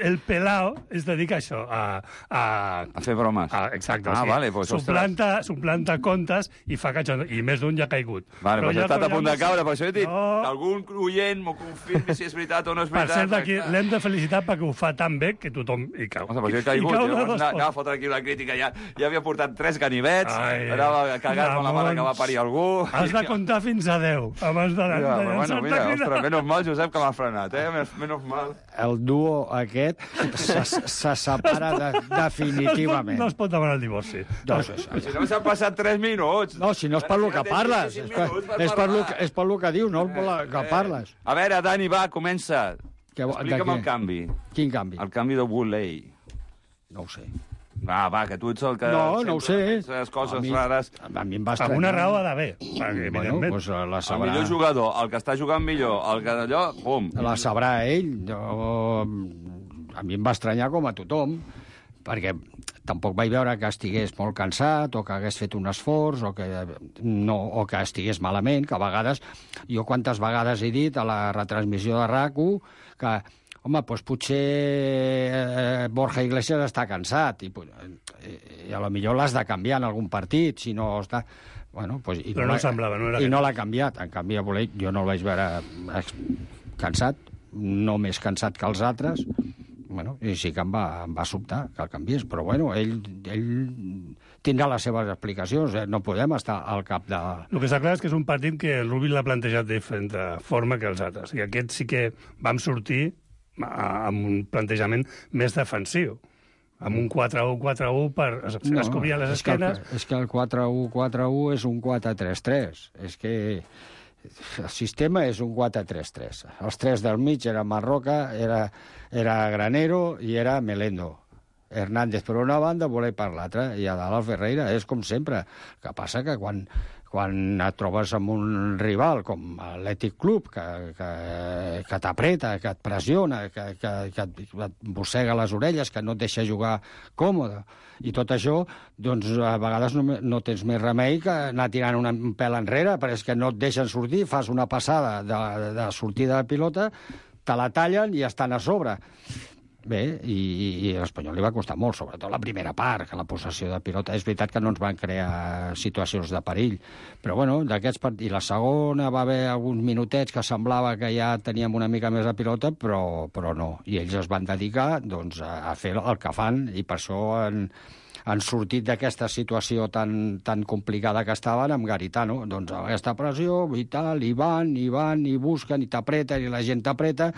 Speaker 9: El Pelao es dedica a això, a... A,
Speaker 12: a fer bromes.
Speaker 9: A, exacte.
Speaker 12: Ah,
Speaker 9: o sigui,
Speaker 12: vale, pues,
Speaker 9: suplanta, suplanta contes i fa catxon... I més d'un ja ha caigut.
Speaker 12: Vale, però pues ja he estat a punt de caure, per això he dit
Speaker 9: no.
Speaker 12: que algun oient m'ho confirmi si és veritat o no és veritat.
Speaker 9: Per cert, aquí l'hem de felicitar perquè ho fa tan bé que tothom hi cau.
Speaker 12: O sigui, però jo he caigut, jo anava, anava a fotre aquí la crítica, ja, ja havia portat tres ganivets, Ai, anava cagat amb la mare que va parir algú...
Speaker 9: Has de comptar fins a deu, abans de...
Speaker 12: Ja, de bueno, mira, ostres, menys mal, Josep, que m'ha frenat, eh? Menys mal.
Speaker 11: El duo aquest se, se separa de, definitivament.
Speaker 9: No es pot demanar el divorci.
Speaker 12: No, no, no. Si no s'han passat tres minuts.
Speaker 11: No, si no és per lo que parles. És per, és per, lo, que, és per lo que dius, no per lo que parles.
Speaker 12: A veure, Dani, va, comença.
Speaker 11: Que,
Speaker 12: Explica'm el canvi.
Speaker 11: Quin canvi?
Speaker 12: El canvi de Wooley.
Speaker 11: No ho sé.
Speaker 12: Va, va, que tu ets el que...
Speaker 11: No, no ho sé.
Speaker 12: Les coses a mi, rares.
Speaker 11: A mi em va estranyar.
Speaker 9: Amb una raó ha d'haver. Perquè,
Speaker 11: bueno, pues la sabrà...
Speaker 12: El millor jugador, el que està jugant millor, el que d'allò, pum.
Speaker 11: La sabrà ell. Jo... A mi em va estranyar com a tothom, perquè tampoc vaig veure que estigués molt cansat o que hagués fet un esforç o que, no, o que estigués malament, que a vegades... Jo quantes vegades he dit a la retransmissió de RAC u que... Home, doncs potser eh, Borja Iglesias està cansat i, i, i a lo millor l'has de canviar en algun partit, si no està... Bueno, pues, i
Speaker 9: Però no, no semblava, no era...
Speaker 11: I no l'ha canviat. En canvi, a Voler, jo no el vaig veure cansat, no més cansat que els altres. Bueno, i sí que em va, em va sobtar que el canviés, però bueno, ell, ell tindrà les seves explicacions, eh? No podem estar al cap de...
Speaker 9: El que està clar és que és un partit que el Rubí l'ha plantejat de diferent forma que els altres, i aquest sí que vam sortir amb un plantejament més defensiu, amb un quatre u quatre u per escobrir les esquenes.
Speaker 11: És que el quatre u quatre u és un quatre tres tres. És que el sistema és un quatre tres tres. Els tres del mig era Marroca, era, era Granero i era Melendo. Hernández per una banda, Voler per l'altra, i a dalt el Ferreira. És com sempre. El que passa que quan... quan et trobes amb un rival com l'Atlètic Club, que, que, que t'apreta, que et pressiona, que, que, que et mossega les orelles, que no et deixa jugar còmode, i tot això, doncs a vegades no, no tens més remei que anar tirant una, un pèl enrere, perquè és que no et deixen sortir, fas una passada de, de sortida de pilota, te la tallen i estan a sobre. bé, i, i, i l'Espanyol li va costar molt, sobretot la primera part, que la possessió de pilota. És veritat que no ens van crear situacions de perill, però bueno, d'aquests partits... I la segona va haver alguns minutets que semblava que ja teníem una mica més de pilota, però, però no. I ells es van dedicar doncs, a, a fer el que fan, i per això han, han sortit d'aquesta situació tan, tan complicada que estaven amb Garitano. Doncs aquesta pressió i tal, i van, i van, i busquen, i t'apreten, i la gent t'apreta,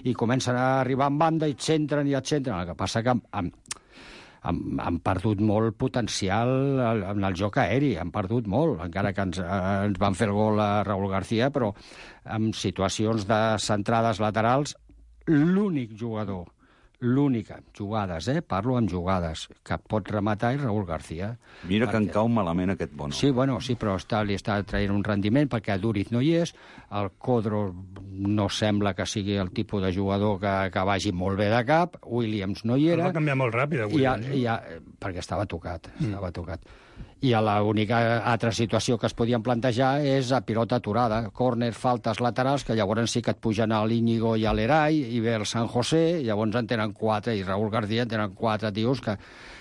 Speaker 11: i comencen a arribar en banda, i et centren, i et centren. El que passa que han, han, han perdut molt potencial en el joc aeri, han perdut molt, encara que ens, ens van fer el gol a Raúl García, però en situacions de centrades laterals, l'únic jugador l'única, jugades, eh? Parlo amb jugades, que pot rematar és Raúl García.
Speaker 12: Mira
Speaker 11: perquè...
Speaker 12: que en cau malament aquest Bono.
Speaker 11: Sí, bueno, sí, però està, li està traient un rendiment perquè Duriz no hi és, el Codro no sembla que sigui el tipus de jugador que, que vagi molt bé de cap, Williams no hi era...
Speaker 9: El va canviar molt ràpid,
Speaker 11: Williams. I, ja, perquè estava tocat, estava mm. tocat. I l'única altra situació que es podien plantejar és a pilota aturada, córner, faltes laterals, que llavors sí que et pugen a l'Íñigo i a l'Erai, i ve el San José, llavors en tenen quatre, i Raúl García en tenen quatre tios que,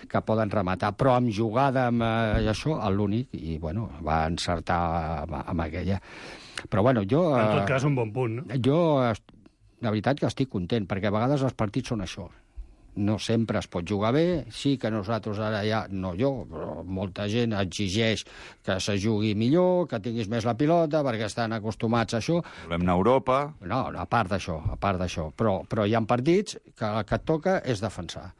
Speaker 11: que poden rematar. Però amb jugada, amb eh, això, l'únic, i bueno, va encertar amb, amb aquella. Però bueno, jo...
Speaker 9: En tot cas, un bon punt, no?
Speaker 11: Jo, la veritat que estic content, perquè a vegades els partits són això. No sempre es pot jugar bé, sí que nosaltres ara ja, no jo, però molta gent exigeix que se jugui millor, que tinguis més la pilota, perquè estan acostumats a això.
Speaker 12: Volem anar a Europa...
Speaker 11: No, a part d'això, a part d'això. Però, però hi ha partits que el que et toca és defensar.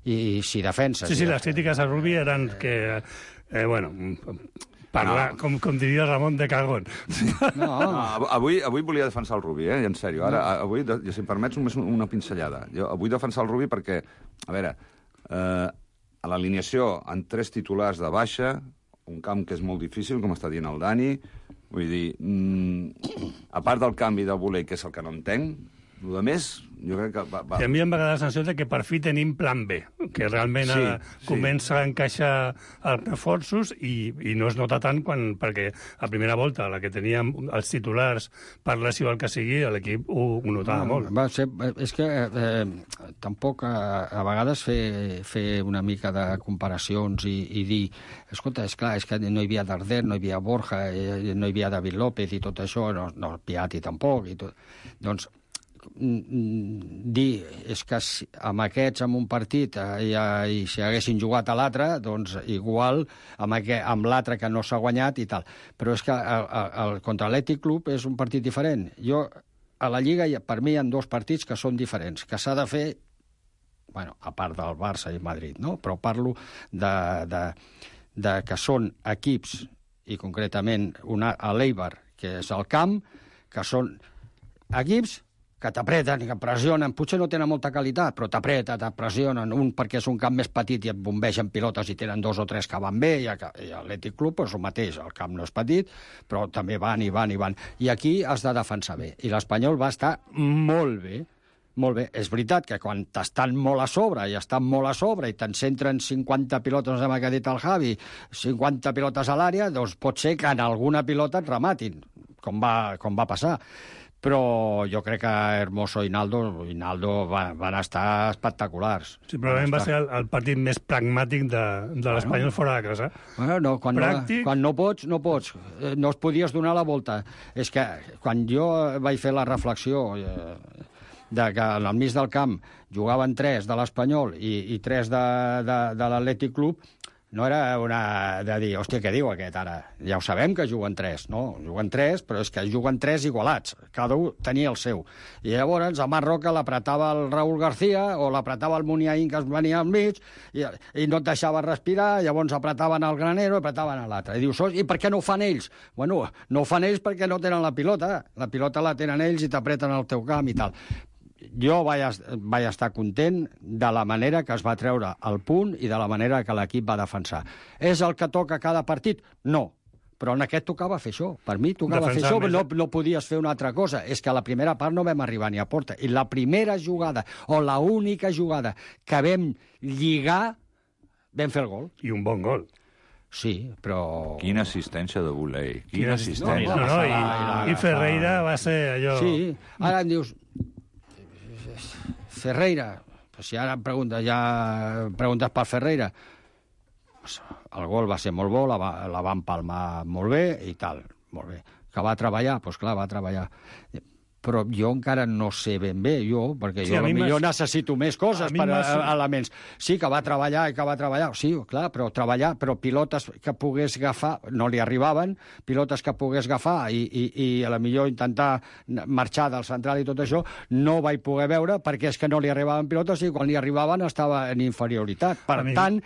Speaker 11: I si defenses...
Speaker 9: Sí, sí, les crítiques a Rubi eren que, eh, bueno... Parlar, no. com, com diria Ramon de Cagón.
Speaker 12: No. no avui, avui volia defensar el Rubi, eh? En sèrio. Ara, no. avui, si em permets, només una pinzellada. Jo vull defensar el Rubi perquè, a veure, eh, a l'alineació, en tres titulars de baixa, un camp que és molt difícil, com està dient el Dani, vull dir, mm, a part del canvi de voler, que és el que no entenc, el de més, jo crec que... Va, va.
Speaker 9: I a mi em va quedar la sensació de que per fi tenim plan B, que realment sí, sí. comença a encaixar els reforços i, i no es nota tant quan, perquè a primera volta, la que teníem els titulars per lesió el que sigui, l'equip ho, ho notava
Speaker 11: no,
Speaker 9: molt.
Speaker 11: Va ser, és que eh, tampoc a, a vegades fer, fer una mica de comparacions i, i dir, escolta, és clar, és que no hi havia Darder, no hi havia Borja, eh, no hi havia David López i tot això, no, no Piatti tampoc, i tot. Doncs dir és que amb aquests en un partit eh, i, i si haguessin jugat a l'altre, doncs igual amb, aquest, amb l'altre que no s'ha guanyat i tal. Però és que el, el, contra l'Atlètic Club és un partit diferent. Jo, a la Lliga, per mi hi ha dos partits que són diferents, que s'ha de fer, bueno, a part del Barça i Madrid, no? Però parlo de, de, de que són equips, i concretament una, a l'Eibar, que és el camp, que són equips que t'apreten i que pressionen, potser no tenen molta qualitat, però t'apreten, te pressionen, un perquè és un camp més petit i et bombegen pilotes i tenen dos o tres que van bé, i l'Atlètic Club és el mateix, el camp no és petit, però també van i van i van. I aquí has de defensar bé, i l'Espanyol va estar molt bé, molt bé. És veritat que quan t'estan molt a sobre i estan molt a sobre i te'n centren cinquanta pilotes, no sé què ha dit el Javi, cinquanta pilotes a l'àrea, doncs pot ser que en alguna pilota et rematin, com va, com va passar. Però jo crec que Hermoso i Naldo, i Naldo van, van estar espectaculars.
Speaker 9: Sí, probablement va ser el, el partit més pragmàtic de, de l'Espanyol bueno, fora de casa.
Speaker 11: Bueno, no, quan, Pràctic... no, quan no pots, no pots. No es podies donar la volta. És que quan jo vaig fer la reflexió eh, de que al mig del camp jugaven tres de l'Espanyol i, i tres de, de, de l'Atlètic Club, no era una de dir, hòstia, què diu aquest ara? Ja ho sabem que juguen tres, no? Juguen tres, però és que juguen tres igualats. Cada un tenia el seu. I llavors a Marroca l'apretava el Raúl García o l'apretava el Muniain, que es venia al mig, i, i no et deixava respirar, llavors apretaven el Granero, apretaven a l'altre. I dius, i per què no ho fan ells? Bueno, no ho fan ells perquè no tenen la pilota. La pilota la tenen ells i t'apreten al teu camp i tal. Jo vaig, vaig estar content de la manera que es va treure el punt i de la manera que l'equip va defensar. És el que toca cada partit? No. Però en aquest tocava fer això. Per mi tocava Defensar fer això, no, no podies fer una altra cosa. És que a la primera part no vam arribar ni a porta. I la primera jugada, o la única jugada que vam lligar, vam fer el gol.
Speaker 9: I un bon gol.
Speaker 11: Sí, però...
Speaker 12: Quina assistència de Boulay. Quina assistència.
Speaker 9: No, no, no, i, i Ferreira va ser allò...
Speaker 11: Sí, ara em dius... Ferreira, si ara em preguntes, ja preguntes per Ferreira, pues, el gol va ser molt bo, la, va, la va empalmar molt bé i tal, molt bé. Que va treballar, doncs clar, va treballar. Però jo encara no sé ben bé, jo, perquè sí, jo potser necessito més coses per a, elements. Sí, que va treballar i que va treballar, sí, clar, però treballar, però pilotes que pogués agafar, no li arribaven, pilotes que pogués agafar i, i, i a la millor intentar marxar del central i tot això, no vaig poder veure perquè és que no li arribaven pilotes i quan li arribaven estava en inferioritat. Per a tant,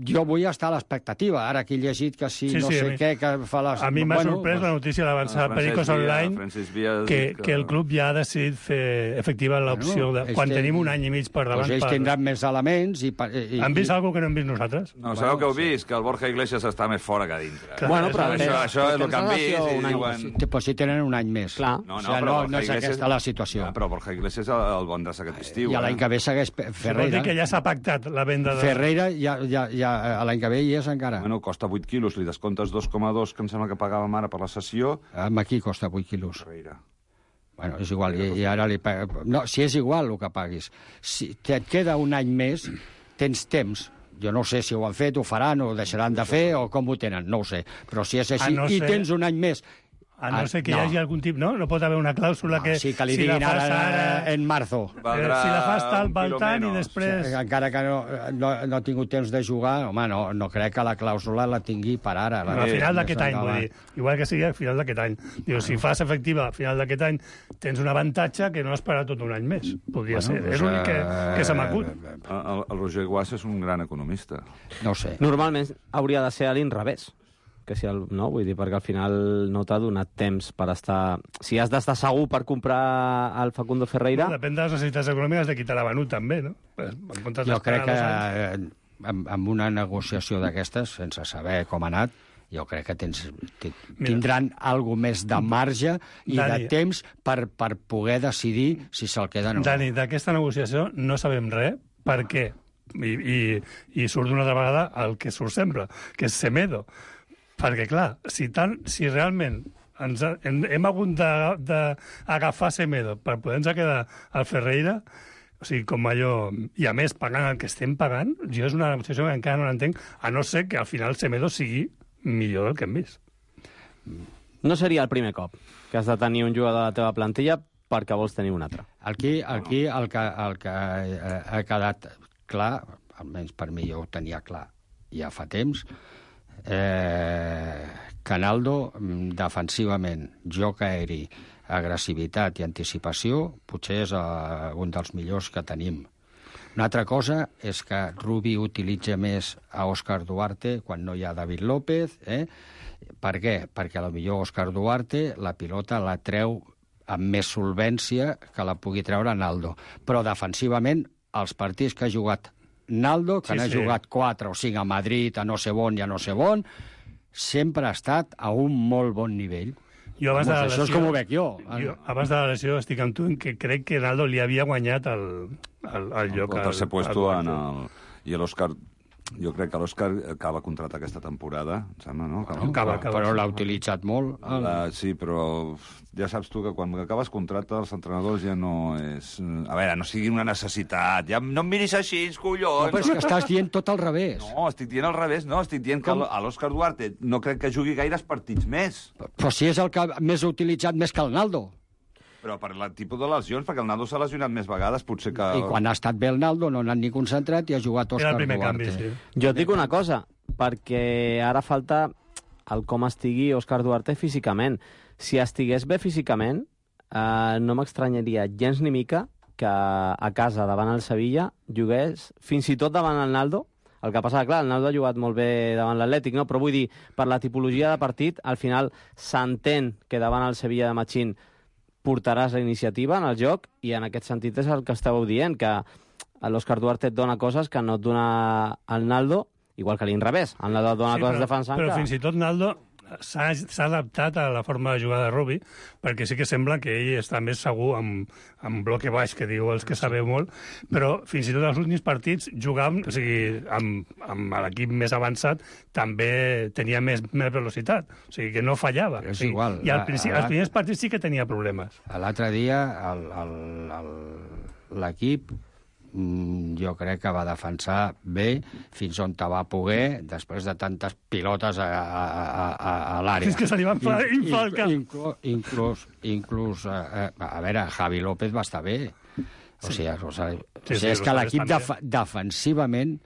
Speaker 11: jo vull estar a l'expectativa. Ara que he llegit que sí, sí no sí, sé mi, què, que fa les...
Speaker 9: A mi m'ha bueno, sorprès pues, la notícia d'avançar a Pericos Online que, que, que el club ja ha decidit fer efectiva l'opció bueno, de, quan que, tenim un any i mig per davant.
Speaker 11: Pues ells per... tindran més elements i... i
Speaker 9: Han vist
Speaker 11: i...
Speaker 9: alguna que no hem vist nosaltres?
Speaker 12: No, sabeu que heu vist? Que el Borja Iglesias està més fora que dintre.
Speaker 11: Clar,
Speaker 12: bueno, però això, això és el que han vist i
Speaker 11: diuen... Però si tenen un any més.
Speaker 5: Clar.
Speaker 12: No, no,
Speaker 11: o sigui, no, no és aquesta la situació.
Speaker 12: Ja, però Borja Iglesias el bon de aquest estiu.
Speaker 11: I l'any que ve segueix Ferreira.
Speaker 9: Vol dir que ja s'ha pactat la venda de...
Speaker 11: Ferreira ja, ja, ja l'any que ve hi és encara.
Speaker 12: Bueno, costa vuit quilos, li descomptes dos coma dos, que em sembla que pagàvem ara per la sessió.
Speaker 11: Amb aquí costa vuit quilos. Ferreira. Bueno, és igual, i, i ara li paga... No, si és igual el que paguis. Si et queda un any més, tens temps. Jo no sé si ho han fet, ho faran, o ho deixaran de fer, o com ho tenen, no ho sé. Però si és així, no i ser... tens un any més...
Speaker 9: A no ser que no. hi hagi algun tipus... No? No pot haver una clàusula
Speaker 11: no,
Speaker 9: que...
Speaker 11: Sí, que li si diguin ara, ara en marzo.
Speaker 9: Valdrà si la fas tal, val tant, i després...
Speaker 11: Sí, encara que no, no, no ha tingut temps de jugar, home, no, no crec que la clàusula la tingui per ara.
Speaker 9: No, a final d'aquest any, vull dir. Igual que sigui a final d'aquest any. Diu, si fas efectiva a final d'aquest any, tens un avantatge que no esperar tot un any més. Podria bueno, ser. Pues, és l'únic que, que se m'acut.
Speaker 12: El, el Roger Guas és un gran economista.
Speaker 11: No ho sé.
Speaker 5: Normalment hauria de ser a l'inrevés. Que si el, no, vull dir, perquè al final no t'ha donat temps per estar... Si has d'estar segur per comprar el Facundo Ferreira...
Speaker 9: No, depèn de les necessitats econòmiques de qui te l'ha venut, també, no?
Speaker 11: Jo crec que amb, amb una negociació d'aquestes, sense saber com ha anat, jo crec que tens, tindran alguna més de marge i Dani, de temps per, per poder decidir si se'l queden o no.
Speaker 9: Dani, d'aquesta negociació no sabem res, per què? I, i, i surt una altra vegada el que surt sempre, que és Semedo. Perquè, clar, si, tant, si realment ens ha, hem, hem hagut d'agafar Semedo per poder-nos quedar al Ferreira, o sigui, com allò... I a més, pagant el que estem pagant, jo és una negociació que encara no l'entenc, a no ser que al final Semedo sigui millor del que hem vist.
Speaker 5: No seria el primer cop que has de tenir un jugador de la teva plantilla perquè vols tenir un altre.
Speaker 11: Aquí, aquí el, que, el que ha quedat clar, almenys per mi jo ho tenia clar ja fa temps, Eh, Canaldo, defensivament, joc aeri, agressivitat i anticipació, potser és uh, un dels millors que tenim. Una altra cosa és que Rubi utilitza més a Òscar Duarte quan no hi ha David López. Eh? Per què? Perquè a lo millor Òscar Duarte la pilota la treu amb més solvència que la pugui treure Naldo. Però defensivament, els partits que ha jugat Naldo, que sí, n'ha sí. jugat quatre o cinc a Madrid, a no sé on i a no sé on, sempre ha estat a un molt bon nivell.
Speaker 9: Jo abans Vamos, de la lesió,
Speaker 11: això és com ho veig jo.
Speaker 9: jo. Abans de la lesió estic amb tu en que crec que Naldo li havia guanyat el, el, el lloc.
Speaker 12: El tercer puesto en el... I l'Òscar... Jo crec que l'Òscar acaba contracte aquesta temporada, em sembla, no?
Speaker 11: Acaba, acaba, acaba, però l'ha utilitzat molt.
Speaker 12: La, sí, però ja saps tu que quan acabes contracte els entrenadors ja no és... A veure, no sigui una necessitat. Ja no em miris així, collons!
Speaker 11: No, però és que estàs dient tot al revés.
Speaker 12: No, estic dient al revés, no. Estic dient que a l'Òscar Duarte no crec que jugui gaires partits més.
Speaker 11: Però si és el que més ha utilitzat més que el Naldo.
Speaker 12: Però per el tipus de lesions, perquè el Naldo s'ha lesionat més vegades, potser que...
Speaker 11: I quan ha estat bé el Naldo no ha anat ni concentrat i ha jugat Òscar Duarte.
Speaker 9: Canvi, sí.
Speaker 5: Jo et dic una cosa, perquè ara falta el com estigui Òscar Duarte físicament. Si estigués bé físicament, eh, no m'estranyaria gens ni mica que a casa davant el Sevilla jugués fins i tot davant el Naldo. El que passa, clar, el Naldo ha jugat molt bé davant l'Atlètic, no? Però vull dir, per la tipologia de partit, al final s'entén que davant el Sevilla de Machín portaràs la iniciativa en el joc i en aquest sentit és el que estàveu dient, que l'Òscar Duarte et dona coses que no et dona el Naldo, igual que l'inrevés. El Naldo et dona sí, coses
Speaker 9: però,
Speaker 5: defensant
Speaker 9: però
Speaker 5: que...
Speaker 9: fins i tot Naldo s'ha adaptat a la forma de jugar de Rubi, perquè sí que sembla que ell està més segur amb, amb bloque baix, que diu els que sabeu molt, però fins i tot els últims partits jugàvem, o sigui, amb, amb l'equip més avançat també tenia més, més velocitat, o sigui que no fallava.
Speaker 11: Però és
Speaker 9: sí.
Speaker 11: igual.
Speaker 9: I al principi, als primers partits sí que tenia problemes.
Speaker 11: L'altre dia l'equip mm, jo crec que va defensar bé fins on te va poder, després de tantes pilotes a, a, a, a, a l'àrea.
Speaker 9: Fins que se li va inflar, inflar el cap.
Speaker 11: Inclús, inclús, inclús a, a veure, Javi López va estar bé. O sigui, o sigui,
Speaker 9: Sí,
Speaker 11: o sigui
Speaker 9: sí,
Speaker 11: és que l'equip
Speaker 9: també.
Speaker 11: def defensivament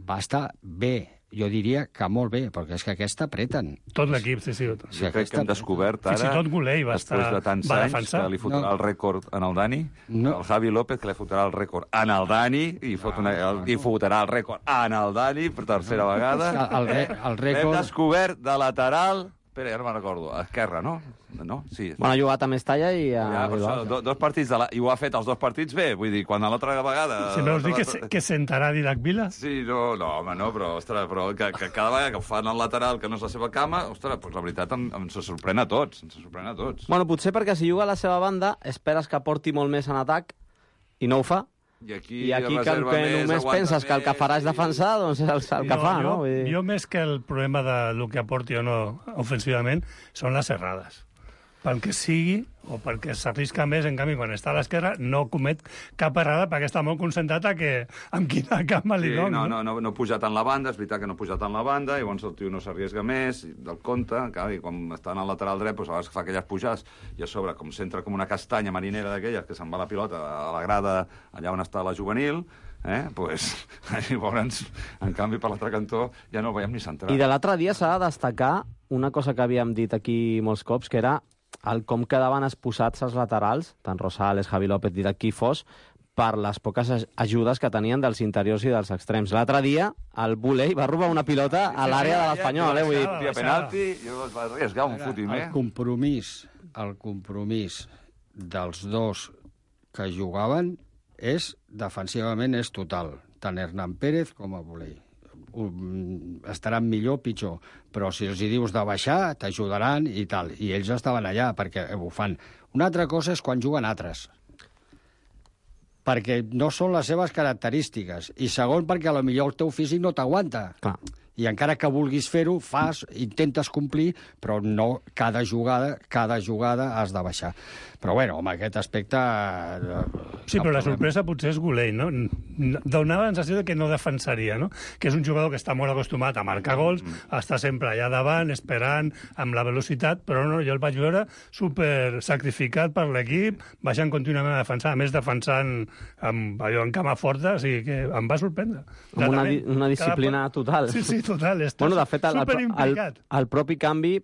Speaker 11: va estar bé. Jo diria que molt bé, perquè és que aquesta apreten.
Speaker 9: Tot l'equip, sí, sí.
Speaker 12: Sí, jo crec que hem descobert ara,
Speaker 9: Fins i tot Gulei va estar...
Speaker 12: després de tants
Speaker 9: va
Speaker 12: anys,
Speaker 9: defensar.
Speaker 12: que li fotrà
Speaker 11: No.
Speaker 12: el rècord en el Dani,
Speaker 11: No.
Speaker 12: el Javi López, que li fotrà el rècord en el Dani, i, fot una, el, i fotrà el rècord en el Dani per tercera vegada.
Speaker 11: El, re- el
Speaker 12: L'hem
Speaker 11: rècord...
Speaker 12: descobert de lateral... Espera, ja no me'n recordo. A esquerra, no? No? Sí.
Speaker 5: Bueno, ha jugat a Mestalla i a
Speaker 12: Ja, per
Speaker 5: Bilbao.
Speaker 12: això, do, dos partits de la... I ho ha fet els dos partits bé. Vull dir, quan a l'altra vegada...
Speaker 9: Si veus dir que, se- que sentarà Didac Vila?
Speaker 12: Sí, no, no, home, no, però, ostres, però que, que cada vegada que ho fan al lateral, que no és la seva cama, ostres, doncs la veritat em, em se sorprèn a tots, ens sorprèn a tots.
Speaker 5: Bueno, potser perquè si juga a la seva banda esperes que aporti molt més en atac i no ho fa.
Speaker 12: I aquí,
Speaker 5: I aquí que, el
Speaker 12: reserva
Speaker 5: que
Speaker 12: més,
Speaker 5: només
Speaker 12: aguanta
Speaker 5: penses que el que farà és defensar, doncs és el, el que
Speaker 9: Jo-
Speaker 5: fa,
Speaker 9: jo,
Speaker 5: no? Vull dir...
Speaker 9: Jo, més que el problema de lo que aporti o no ofensivament, són les errades. Pel que sigui, o perquè s'arrisca més, en canvi, quan està a l'esquerra, no comet cap errada perquè està molt concentrat a que amb quina cama li
Speaker 12: Sí,
Speaker 9: dono.
Speaker 12: no, no, no, no puja tant la banda, és veritat que no puja tant la banda, i llavors el tio no s'arriesga més, i del compte, clar, i quan està en el lateral dret, doncs a vegades fa aquelles pujades, i a sobre, com s'entra com una castanya marinera d'aquelles, que se'n va la pilota a la grada allà on està la juvenil, eh, pues, llavors, en canvi, per l'altre cantó, ja no el veiem ni centrar.
Speaker 5: I de l'altre dia s'ha de destacar una cosa que havíem dit aquí molts cops, que era el com quedaven exposats els laterals, tant Rosales, Javi López, Didac, qui fos, per les poques aj- ajudes que tenien dels interiors i dels extrems. L'altre dia, el Buley va robar una pilota a l'àrea de l'Espanyol, eh? Vull dir...
Speaker 12: Via penalti, i es va arriesgar un fotim, eh?
Speaker 11: El compromís, el compromís dels dos que jugaven és, defensivament, és total. Tant Hernán Pérez com el Buley. Estaran millor, pitjor, però si els hi dius de baixar, t'ajudaran i tal. I ells estaven allà perquè ho fan. Una altra cosa és quan juguen altres, perquè no són les seves característiques. I segon, perquè a lo millor el teu físic no t'aguanta.
Speaker 5: Clar.
Speaker 11: I encara que vulguis fer-ho, fas, intentes complir, però no cada jugada, cada jugada has de baixar. Però, bueno, amb aquest aspecte...
Speaker 9: Sí, però la sorpresa potser és Gulei, no? Donava la sensació de que no defensaria, no? Que és un jugador que està molt acostumat a marcar gols, està sempre allà davant, esperant, amb la velocitat, però no, jo el vaig veure super sacrificat per l'equip, baixant contínuament a defensar, a més defensant amb, allò, en cama forta, o sigui que em va sorprendre.
Speaker 5: Amb una, di- una disciplina total.
Speaker 9: Sí, sí, total. Està
Speaker 5: Bueno, de fet, el, el, el,
Speaker 9: superimplicat.
Speaker 5: el propi canvi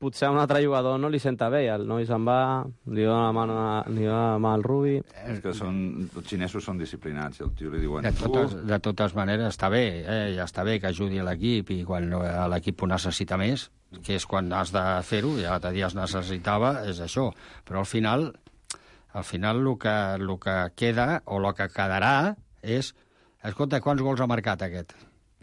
Speaker 5: potser a un altre jugador no li senta bé. El noi se'n va, li dona la mà, li dona la mà al Rubi.
Speaker 12: És que són, els xinesos són disciplinats, i el tio li diuen...
Speaker 11: De totes, de totes maneres, està bé, eh? Ja està bé que ajudi a l'equip i quan eh, l'equip ho necessita més, que és quan has de fer-ho, ja l'altre dia es necessitava, és això. Però al final, al final el que, el que queda, o el que quedarà, és... Escolta, quants gols ha marcat aquest?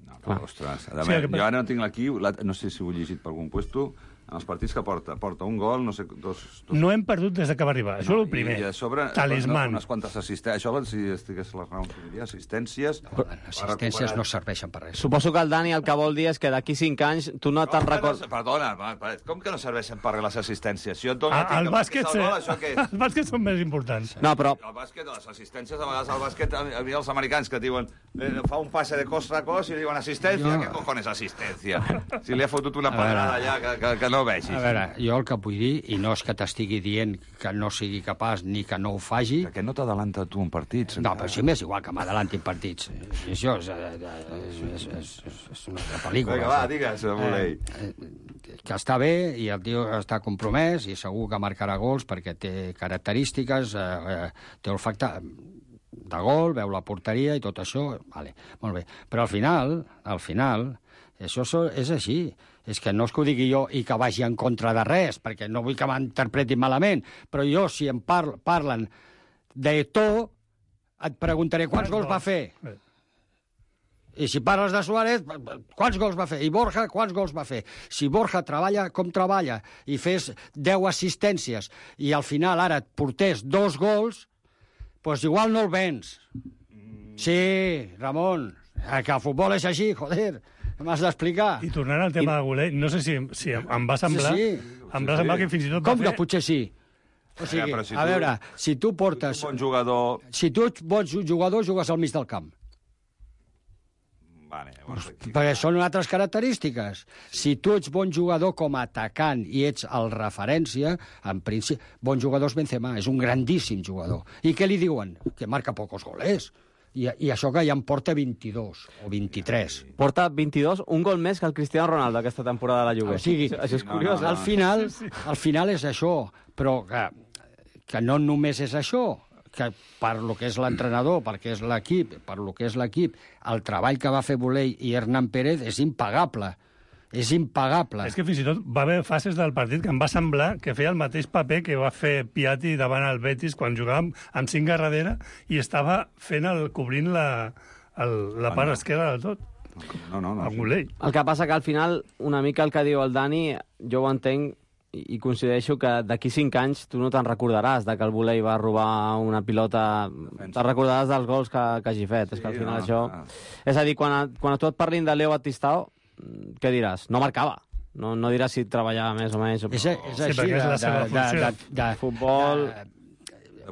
Speaker 12: No, però, ostres, a
Speaker 9: Sí,
Speaker 12: veure,
Speaker 9: que-
Speaker 12: jo ara no tinc aquí, la- no sé si ho he llegit per algun puesto, en els partits que porta, porta un gol, no sé, dos... dos...
Speaker 9: No hem perdut des de que va arribar. Això és el primer.
Speaker 12: I a sobre,
Speaker 9: Talisman.
Speaker 12: no, unes quantes assistències. Això, si estigués les raons, diria, assistències...
Speaker 11: No, les assistències no serveixen per res.
Speaker 5: Suposo que el Dani el que vol dir és que d'aquí cinc anys tu no te'n
Speaker 12: Com que
Speaker 5: recordes...
Speaker 12: no, perdona, va, va, com que no serveixen per res les assistències? Si jo et dono
Speaker 9: Ah,
Speaker 12: a ti
Speaker 9: el
Speaker 12: que
Speaker 9: bàsquet,
Speaker 12: marquis el gol, això què és?
Speaker 9: el bàsquet són més importants.
Speaker 5: No, però...
Speaker 12: El bàsquet, les assistències, a vegades el bàsquet, a mi els americans que diuen eh, fa un passe de costa a cos i li diuen assistència,
Speaker 11: Jo-
Speaker 12: què cojones assistència? Si li ha fotut una
Speaker 11: A veure.
Speaker 12: pedrada allà que, que, que no vegis.
Speaker 11: A veure, jo el que vull dir, i no és que t'estigui dient que no sigui capaç ni que no ho faci...
Speaker 12: Que no t'adalanta tu en partits.
Speaker 11: No, però sí m'és igual que m'adalanti en partits. I això és, és, és, és, és, és una altra pel·lícula.
Speaker 12: Vinga, va, digues, Buley.
Speaker 11: Eh, eh, que està bé i el tio està compromès i segur que marcarà gols perquè té característiques, eh, eh, té olfacte de gol, veu la porteria i tot això, vale, molt bé. Però al final, al final, això so- és així. És que no és que ho digui jo i que vagi en contra de res, perquè no vull que m'interpretin malament, però jo, si em par parlen d'Eto'o, et preguntaré quants gols va fer. I si parles de Suárez, quants gols va fer? I Borja, quants gols va fer? Si Borja treballa com treballa i fes deu assistències i al final ara et portés dos gols, doncs igual no el vens. Sí, Ramon, que el futbol és així, joder, m'has d'explicar.
Speaker 9: I tornant al tema de Gulei, no sé si, si em va semblar,
Speaker 11: Sí, sí.
Speaker 9: em va semblar que fins i tot
Speaker 11: Com
Speaker 9: va
Speaker 11: que
Speaker 9: fer...
Speaker 11: potser sí? O sigui,
Speaker 12: Ja, però si
Speaker 11: a
Speaker 12: tu-
Speaker 11: veure, si tu portes...
Speaker 12: Si tu ets un bon jugador...
Speaker 11: Si tu ets bon jugador, jugues al mig del camp.
Speaker 12: Vale, llavors aquí...
Speaker 11: Perquè són altres característiques. Si tu ets bon jugador com a atacant i ets el referència, en principi, bon jugador és Benzema, és un grandíssim jugador. I què li diuen? Que marca pocos goles. I, i això que ja en porta vint-i-dos o vint-i-tres.
Speaker 5: Porta vint-i-dos, un gol més que el Cristiano Ronaldo aquesta temporada de la Juve.
Speaker 11: O sigui,
Speaker 5: això és curiós.
Speaker 11: al final, al final és això, però que, que no només és això, que per lo que és l'entrenador, perquè és l'equip, per lo que és l'equip, el treball que va fer Bolell i Hernán Pérez és impagable. És impagable.
Speaker 9: És que fins i tot va haver fases del partit que em va semblar que feia el mateix paper que va fer Piatti davant el Betis quan jugàvem amb cinc a darrere i estava fent el, cobrint la, el, la part esquerra del tot.
Speaker 12: No, no, no.
Speaker 9: El Bolell.
Speaker 5: El que passa que al final, una mica el que diu el Dani, jo ho entenc i i coincideixo que d'aquí cinc anys tu no te'n recordaràs de que el Bolell va robar una pilota, te'n recordaràs dels gols que, que hagi fet. Sí, és que al final no, això... No. És a dir, quan a, quan a tu et parlin de Leo Batistao, què diràs? No marcava. No, no diràs si treballava més o menys.
Speaker 11: És, és així,
Speaker 9: sí,
Speaker 11: de,
Speaker 9: és la seva
Speaker 11: de, de, de, de
Speaker 5: futbol...
Speaker 11: De,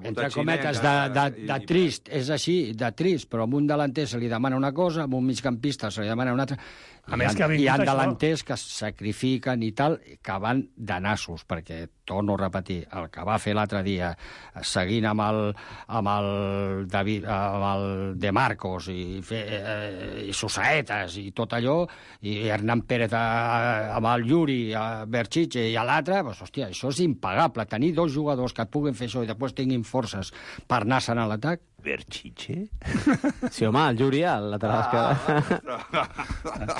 Speaker 11: entre cometes, de, de, de trist, és així, de trist, però a un delanter se li demana una cosa, a un migcampista se li demana una altra...
Speaker 9: A més que ha
Speaker 11: hi ha
Speaker 9: vingut això...
Speaker 11: delanters que es sacrifiquen i tal, que van de nassos, perquè, torno a repetir, el que va fer l'altre dia, seguint amb el, amb el, David, amb el De Marcos i, fer, eh, i Susaetes i tot allò, i Hernán Pérez a, amb el Yuri, a Berchiche i a l'altre, pues, hòstia, això és impagable. Tenir dos jugadors que et puguin fer això i després tinguin forces per anar-se'n a l'atac.
Speaker 12: Berchiche?
Speaker 5: Sí, home, el Yuri, el lateral esquerre.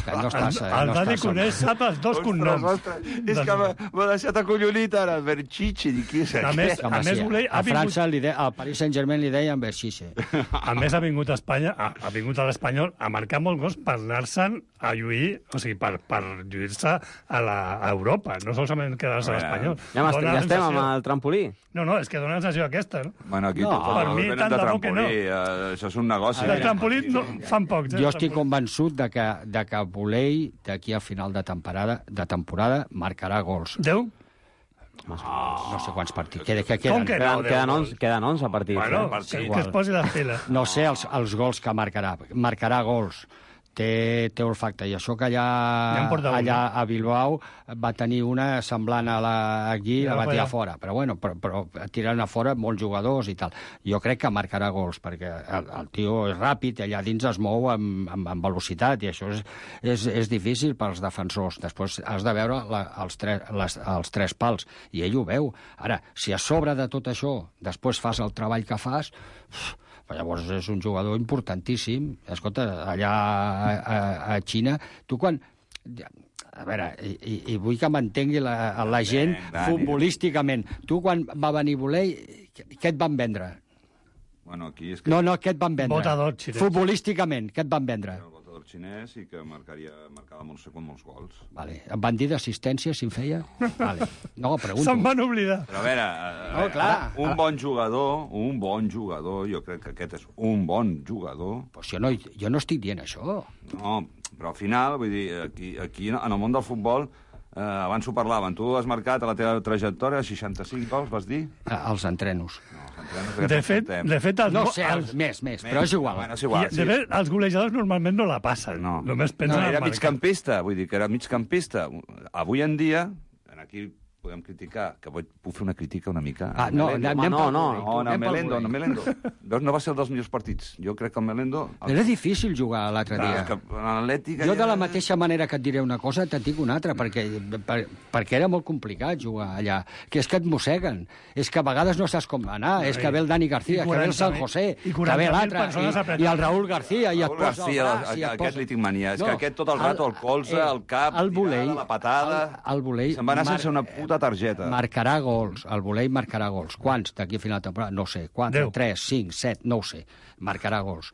Speaker 11: Que no estàs...
Speaker 9: El
Speaker 11: no
Speaker 9: Dani
Speaker 11: estàs-
Speaker 9: coneix, sap els dos cognoms.
Speaker 12: És que m'ha m'ha deixat acollonit ara, el Berchiche, dic, qui és
Speaker 9: A
Speaker 12: aquest?
Speaker 9: més,
Speaker 11: Home,
Speaker 9: a més
Speaker 11: sí,
Speaker 9: Bolell
Speaker 11: a
Speaker 9: ha vingut...
Speaker 11: França, li de, al Paris Saint-Germain li deien Berchiche.
Speaker 9: A més, ha vingut a Espanya, ha, ha vingut a l'Espanyol a marcar molts gols per anar-se'n a lluir, o sigui, per, per lluir-se a, la, a Europa, no solament quedar-se a l'Espanyol.
Speaker 5: Ja, ja
Speaker 9: Dona la
Speaker 5: estem amb
Speaker 9: sensació-
Speaker 5: el trampolí.
Speaker 9: No, no, és que dona la sensació aquesta, no?
Speaker 12: Bueno, aquí
Speaker 11: No,
Speaker 12: tot,
Speaker 11: per
Speaker 12: tot
Speaker 9: mi,
Speaker 12: venen
Speaker 9: tant
Speaker 12: de
Speaker 9: de bo que no.
Speaker 12: trampolí, eh, això és un negoci.
Speaker 9: El trampolí no, fan pocs, eh?
Speaker 11: Jo estic convençut de que, de que Bolell, d'aquí a final de temporada, de temporada marcarà gols.
Speaker 9: Deu?
Speaker 11: No sé quants partits. Que, que
Speaker 9: Com
Speaker 11: queden.
Speaker 9: que no?
Speaker 5: Queden, queden, onze, queden onze partits.
Speaker 9: Bueno,
Speaker 5: eh?
Speaker 9: que, que es posi les piles.
Speaker 11: No sé els, els gols que marcarà. Marcarà gols. Té, té olfacte. I això que allà,
Speaker 9: Ja en porta un,
Speaker 11: allà
Speaker 9: no?
Speaker 11: a Bilbao va tenir una semblant a la, aquí,
Speaker 9: Ja
Speaker 11: la va
Speaker 9: va
Speaker 11: tirar
Speaker 9: allà.
Speaker 11: fora. Però, bueno, però, però tirant a fora molts jugadors i tal. Jo crec que marcarà gols, perquè el, el tio és ràpid, allà dins es mou amb, amb, amb velocitat, i això és, és, és difícil pels defensors. Després has de veure la, els, tres, les, els tres pals, i ell ho veu. Ara, si a sobre de tot això després fas el treball que fas... Però llavors és un jugador importantíssim. Escolta, allà a, a, a Xina, tu quan... A veure, i, i vull que m'entengui la, la gent
Speaker 12: Dani.
Speaker 11: futbolísticament. Tu, quan va venir Bolell, què et van vendre?
Speaker 12: Bueno, aquí és que...
Speaker 11: No, no, què et van vendre?
Speaker 9: Votador xinès.
Speaker 11: Futbolísticament, què et van vendre?
Speaker 12: El votador xinès i que marcaria, marcava molts, molts gols.
Speaker 11: Vale. Em van dir d'assistència, si en feia? Vale. No, pregunto.
Speaker 9: Se'n van oblidar.
Speaker 12: Però a veure, a, a
Speaker 11: No,
Speaker 12: veure,
Speaker 11: clar.
Speaker 12: un bon jugador, un bon jugador, jo crec que aquest és un bon jugador.
Speaker 11: Pues jo, no, jo no estic dient això.
Speaker 12: No, però al final, vull dir, aquí, aquí en el món del futbol, eh, abans ho parlaven, tu has marcat a la teva trajectòria seixanta-cinc gols, vas dir?
Speaker 11: Eh, Els entrenos.
Speaker 12: No, els entrenos aquests
Speaker 9: De
Speaker 12: els
Speaker 9: fet,
Speaker 12: portem.
Speaker 9: de fet, els,
Speaker 11: No
Speaker 9: go-
Speaker 11: sé, els,
Speaker 9: els,
Speaker 11: més, més, però és igual.
Speaker 12: Bueno, és igual,
Speaker 9: de fet, els golejadors normalment no la passen.
Speaker 12: No.
Speaker 9: Només
Speaker 12: No,
Speaker 9: pensen
Speaker 12: era
Speaker 9: en marcar.
Speaker 12: migcampista, vull dir que era migcampista. Avui en dia, aquí podem criticar, que vull, puc fer una crítica una mica.
Speaker 11: Ah, no,
Speaker 12: Melendo.
Speaker 11: anem
Speaker 5: no,
Speaker 11: pel
Speaker 5: no,
Speaker 11: Bolell,
Speaker 12: No, no,
Speaker 11: anem pel
Speaker 12: Melendo,
Speaker 11: Bolell.
Speaker 12: no, Melendo. Veus, no va ser un dels millors partits. Jo crec que el Melendo...
Speaker 11: Era difícil jugar l'altre
Speaker 12: Clar,
Speaker 11: dia.
Speaker 12: és que l'Atlètic...
Speaker 11: Jo de la
Speaker 12: allà-
Speaker 11: mateixa manera que et diré una cosa, te'n dic una altra, perquè, per, perquè era molt complicat jugar allà. Que és que et mosseguen, és que a vegades no saps com anar, és que ve el Dani García,
Speaker 9: I
Speaker 11: que ve el San
Speaker 9: quaranta mil
Speaker 11: José,
Speaker 9: i
Speaker 11: que
Speaker 9: quaranta
Speaker 11: ve
Speaker 9: mil
Speaker 11: l'altre,
Speaker 9: persones
Speaker 11: i,
Speaker 9: apretant.
Speaker 11: i el Raúl García, i et
Speaker 12: Raúl
Speaker 11: posa
Speaker 12: García,
Speaker 11: el braç, i et
Speaker 12: aquest
Speaker 11: posa...
Speaker 12: li tinc mania. És que aquest tot el rato, el colze,
Speaker 11: eh,
Speaker 12: el cap,
Speaker 11: el Bolell,
Speaker 12: tirada, la patada...
Speaker 11: El, el Bolell
Speaker 12: Se'n va anar
Speaker 11: mar-
Speaker 12: sense una puta targeta.
Speaker 11: Marcarà gols, el Bolell marcarà gols. Quants d'aquí a final de temporada? No sé. Quatre,
Speaker 9: Deu.
Speaker 11: tres, cinc, set, no ho sé. Marcarà gols.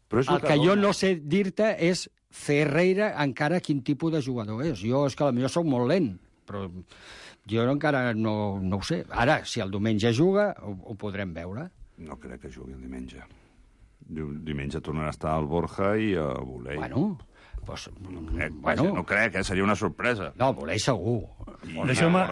Speaker 12: Però és
Speaker 11: El que jo
Speaker 12: dona.
Speaker 11: no sé dir-te és Ferreira encara quin tipus de jugador és. Jo és que potser soc molt lent, però jo encara no, no ho sé. Ara, si el diumenge juga, ho, ho podrem veure.
Speaker 12: No crec que jugui el diumenge. Diu- Diumenge tornarà a estar el Borja i el Bolell.
Speaker 11: Bueno, Pues,
Speaker 12: crec,
Speaker 11: bueno.
Speaker 12: no crec, eh? Seria una sorpresa.
Speaker 11: No, voler segur.
Speaker 9: Deixeu-me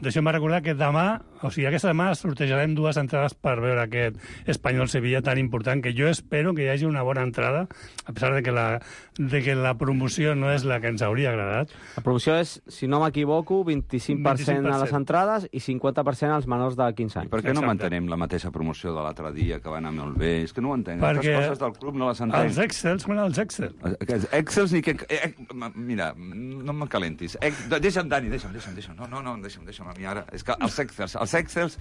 Speaker 9: deixeu recordar que demà, o sigui, aquesta demà sortejarem dues entrades per veure aquest Espanyol-Sevilla tan important, que jo espero que hi hagi una bona entrada, a pesar de que la, de que la promoció no és la que ens hauria agradat.
Speaker 5: La promoció és, si no m'equivoco, vint-i-cinc per cent a les entrades i cinquanta per cent als menors de quinze anys.
Speaker 12: I per què no mantenem la mateixa promoció de l'altre dia, que va anar molt bé? És que no ho entenc. Perquè aquestes coses del club no les entenc.
Speaker 9: Els Excels, són els Excel.
Speaker 12: Els Excels ni que... Eh, mira, no me calentis. Eh, deixa'm, Dani, deixa'm, deixa'm, deixa'm. No, no, no, deixa'm, deixa'm a mi ara. És que els Excels, els Excels,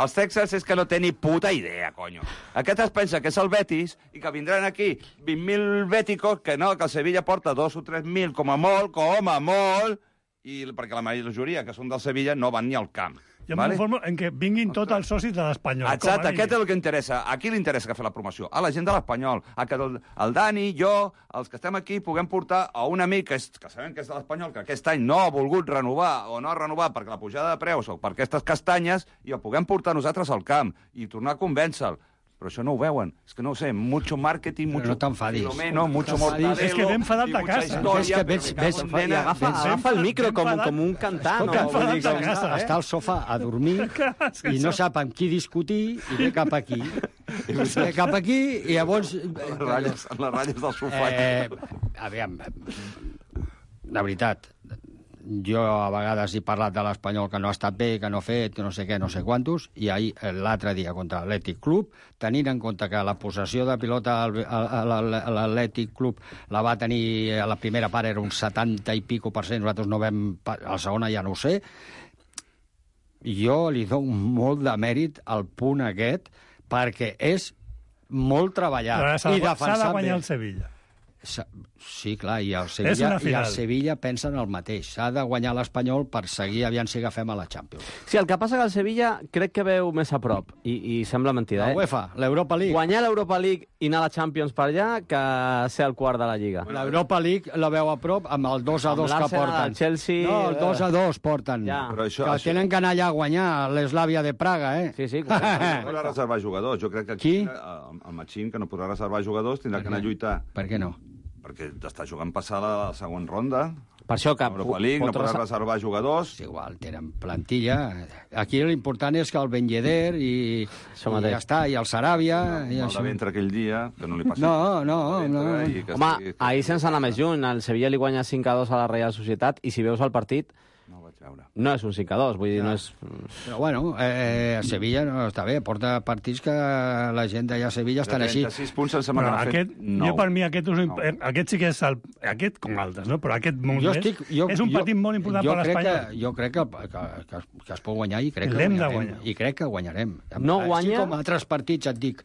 Speaker 12: els Excels és que no té ni puta idea, conyo. Aquest es pensa que és el Betis i que vindran aquí vint mil béticos, que no, que el Sevilla porta dos o tres mil, com a molt, com a molt, i perquè la majoria que són del Sevilla no van ni al camp.
Speaker 9: Jo em conformo en que vinguin tots els socis de l'Espanyol.
Speaker 12: Exacte, aquest és el que interessa. A qui li interessa que fer la promoció? A la gent de l'Espanyol. A que el, el Dani, jo, els que estem aquí, puguem portar a un amic que, és, que sabem que és de l'Espanyol, que aquest any no ha volgut renovar o no ha renovat perquè la pujada de preus o per aquestes castanyes, i el puguem portar nosaltres al camp i tornar a convèncer-lo. Però això no ho veuen. És que no ho sé, mucho marketing, mucho...
Speaker 11: No t'enfadis.
Speaker 12: Filomeno, mucho mortadelo...
Speaker 9: És que ve enfadat de casa.
Speaker 11: És que ves, ves,
Speaker 5: Nena, agafa, agafa el micro com, com un cantant.
Speaker 11: Escolta,
Speaker 5: o, vull dir,
Speaker 11: està,
Speaker 9: casa, eh?
Speaker 11: està al sofà a dormir i no sap amb qui discutir i ve cap aquí. Ve cap aquí i llavors...
Speaker 12: Les ratlles, les ratlles del sofà.
Speaker 11: Eh, aviam, la veritat, jo a vegades he parlat de l'Espanyol que no ha estat bé, que no ha fet, que no sé què, no sé quantos, i ahir, l'altre dia contra l'Atlètic Club, tenint en compte que la possessió de pilota a l'Atlètic Club la va tenir, a la primera part era un setanta i pico per cent, nosaltres no vam... A la segona ja no ho sé. Jo li dono molt de mèrit al punt aquest, perquè és molt treballat.
Speaker 9: S'ha de guanyar el Sevilla.
Speaker 11: Sí, clar, i el Sevilla, i el Sevilla pensen el mateix. S'ha de guanyar l'Espanyol per seguir aviam si agafem a la Champions.
Speaker 5: Sí, el que passa que el Sevilla crec que veu més a prop, i, i sembla mentida,
Speaker 11: la
Speaker 5: eh?
Speaker 11: La UEFA, l'Europa League.
Speaker 5: Guanyar l'Europa League i anar a la Champions per allà que ser el quart de la Lliga.
Speaker 11: L'Europa League la veu a prop amb el dos a dos que porten.
Speaker 5: El Chelsea...
Speaker 11: No, el dos a dos porten.
Speaker 5: Ja.
Speaker 11: Però això, que això... tenen que anar allà a guanyar l'Eslàvia de Praga, eh?
Speaker 5: Sí, sí.
Speaker 12: No podrà reservar jugadors. Jo crec que aquí
Speaker 11: Qui?
Speaker 12: el, el Machín, que no podrà reservar jugadors, tindrà que anar a lluitar.
Speaker 11: Per què no?
Speaker 12: Perquè està jugant passar la següent ronda.
Speaker 5: Per això que...
Speaker 12: Europa League, no podrà reservar jugadors.
Speaker 11: És igual, tenen plantilla. Aquí l'important és que el Ben Yedder i, i ja està, i el Saràbia...
Speaker 12: No,
Speaker 11: i
Speaker 12: el
Speaker 11: això.
Speaker 12: de ventre aquell dia, que no li passa.
Speaker 11: No, no, no.
Speaker 5: Home, ahir sense anar més lluny, el Sevilla li guanya cinc a dos a la Real Societat, i si veus el partit...
Speaker 12: No ho vaig veure.
Speaker 5: No és un cinc a dos, vull dir, no, no és...
Speaker 11: Però bueno, eh, Sevilla no està bé, porta partits que la gent d'allà a Sevilla estan així.
Speaker 12: trenta-sis punts sense m'ha
Speaker 9: aquest,
Speaker 12: no.
Speaker 9: Jo per mi aquest, és, no. aquest sí que és el, aquest com altres, no? Però aquest molt
Speaker 11: jo
Speaker 9: més
Speaker 11: estic, jo,
Speaker 9: és un
Speaker 11: jo,
Speaker 9: partit molt important per l'Espanyol.
Speaker 11: Jo crec que, que, que, que es pot guanyar i crec que
Speaker 9: L'hem de
Speaker 11: guanyarem.
Speaker 9: guanyar.
Speaker 11: I crec que guanyarem.
Speaker 5: No guanya...
Speaker 11: Així com altres partits et dic,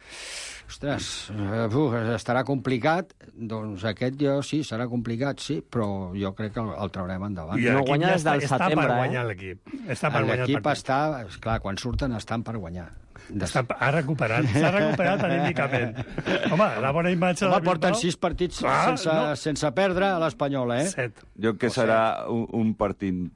Speaker 11: ostres, uf, estarà complicat, doncs aquest jo sí, serà complicat, sí, però jo crec que el, el traurem endavant.
Speaker 9: I
Speaker 5: no guanya des del
Speaker 9: està
Speaker 5: setembre,
Speaker 9: per
Speaker 5: eh?
Speaker 9: guanyar l'equip. Està per guanyar el
Speaker 11: L'equip
Speaker 9: partit.
Speaker 11: està, esclar, quan surten estan per guanyar.
Speaker 9: Està, ha recuperat, s'ha recuperat anímicament. Home, la bona imatge
Speaker 11: Home,
Speaker 9: de
Speaker 11: porten
Speaker 9: Bilbao...
Speaker 11: sis partits
Speaker 9: ah,
Speaker 11: sense,
Speaker 9: no.
Speaker 11: sense perdre a l'Espanyol, eh?
Speaker 9: Set.
Speaker 12: Jo crec que serà un, un partit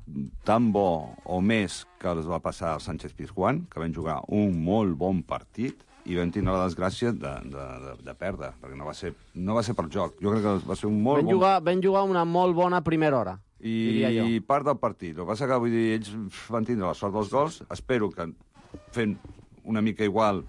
Speaker 12: tan bo o més que els va passar al Sánchez Pizjuán, que van jugar un molt bon partit i vam tindre la desgràcia de, de, de, de perdre, perquè no va, ser, no va ser per joc. Jo crec que va ser un molt
Speaker 5: ben
Speaker 12: bon...
Speaker 5: Jugar, ben jugar una molt bona primera hora,
Speaker 12: I,
Speaker 5: diria jo.
Speaker 12: I part del partit. El que passa que, vull dir, ells van tindre la sort dels gols. Espero que fent una mica igual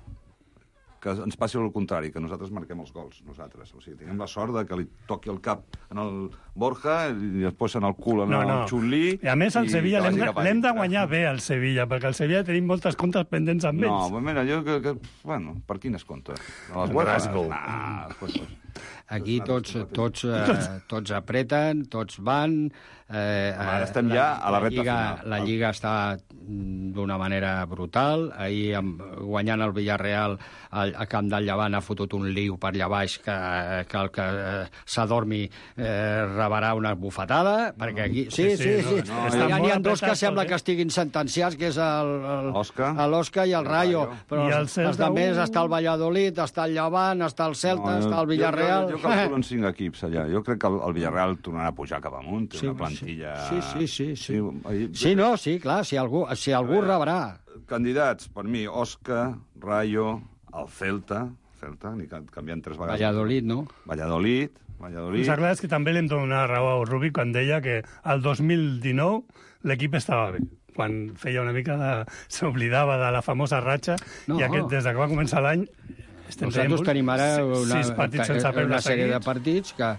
Speaker 12: que ens passi el contrari, que nosaltres marquem els gols, nosaltres. O sigui, tenim la sort de que li toqui el cap en el Borja i després en el cul en
Speaker 9: no,
Speaker 12: el
Speaker 9: no.
Speaker 12: Chun-Li.
Speaker 9: I a més, el Sevilla l'hem de,
Speaker 12: l'hem
Speaker 9: de guanyar bé, el Sevilla, perquè el Sevilla tenim moltes comptes pendents amb ells.
Speaker 12: No, mira, jo que... que bueno, per quines comptes? Les webs? Nah, pues, pues.
Speaker 11: Aquí tots, tots, eh, tots apreten, tots van... Eh,
Speaker 12: Ara estem ja a la recta
Speaker 11: Lliga,
Speaker 12: final.
Speaker 11: La Lliga està d'una manera brutal. Ahir, amb, guanyant el Villarreal, al, a Camp del Llevant ha fotut un liu per allà baix que, que el que eh, s'adormi eh, rebrà una bufetada, perquè aquí... Sí, sí, sí. sí, sí.
Speaker 12: No,
Speaker 11: no,
Speaker 12: no,
Speaker 11: N'hi ha dos que sembla que estiguin sentenciats, que és l'Osca i el Rayo. Però
Speaker 9: I el
Speaker 11: els, els altres està el Valladolid, està el Llevant, està el Celta,
Speaker 12: No,
Speaker 11: està el Villarreal...
Speaker 12: Jo, jo, jo calculo en cinc equips allà. Jo crec que el, el Villarreal tornarà a pujar cap amunt, té
Speaker 11: Sí,
Speaker 12: una plantilla...
Speaker 11: Sí, sí, sí. Sí,
Speaker 12: Sí, ahir-
Speaker 11: sí no, sí, clar, si algú, si algú rebrà.
Speaker 12: Candidats, per mi, Osca, Rayo, el Celta... Celta, ni canviant tres vegades.
Speaker 11: Valladolid, no?
Speaker 12: Valladolid, Valladolid.
Speaker 9: Està clar és que també li hem donat raó a Rubi quan deia que el dos mil dinou l'equip estava bé, quan feia una mica de... s'oblidava de la famosa ratxa,
Speaker 11: No.
Speaker 9: i aquest, des que va començar l'any estem
Speaker 11: Nosaltres tenim ara una,
Speaker 9: sis partits sense perdre
Speaker 11: una sèrie de
Speaker 9: seguits.
Speaker 11: partits que,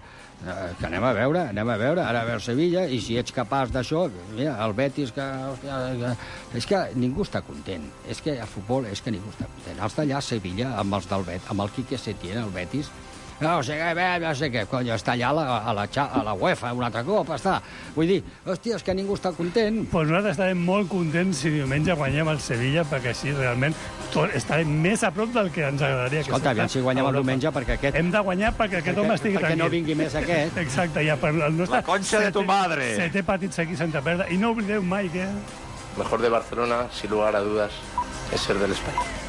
Speaker 11: que anem a veure, anem a veure, ara a veure Sevilla, i si ets capaç d'això, mira, el Betis, que, hòstia, que... És que ningú està content. És que a futbol és que ningú està content. Els d'allà a Sevilla, amb els del Bet, amb el Quique Setién, el Betis, no sé què, no sé què, cony, està allà a la, a la, a la UEFA un altre cop, està. Vull dir, hòstia, és que ningú està content.
Speaker 9: Pues nosaltres estarem molt contents si diumenge guanyem el Sevilla, perquè així realment tot, estarem més a prop del que ens agradaria.
Speaker 11: Escolta, aviam si guanyem el diumenge, perquè aquest...
Speaker 9: Hem de guanyar perquè aquest
Speaker 11: perquè,
Speaker 9: home estigui
Speaker 11: perquè
Speaker 9: tranquil.
Speaker 11: no vingui més aquest.
Speaker 9: Exacte, ja per el nostre...
Speaker 12: La concha de tu madre.
Speaker 9: Setè partit seguit sense perdre. I no oblideu mai que...
Speaker 14: Mejor de Barcelona, sin lugar a dudas, es ser del Español.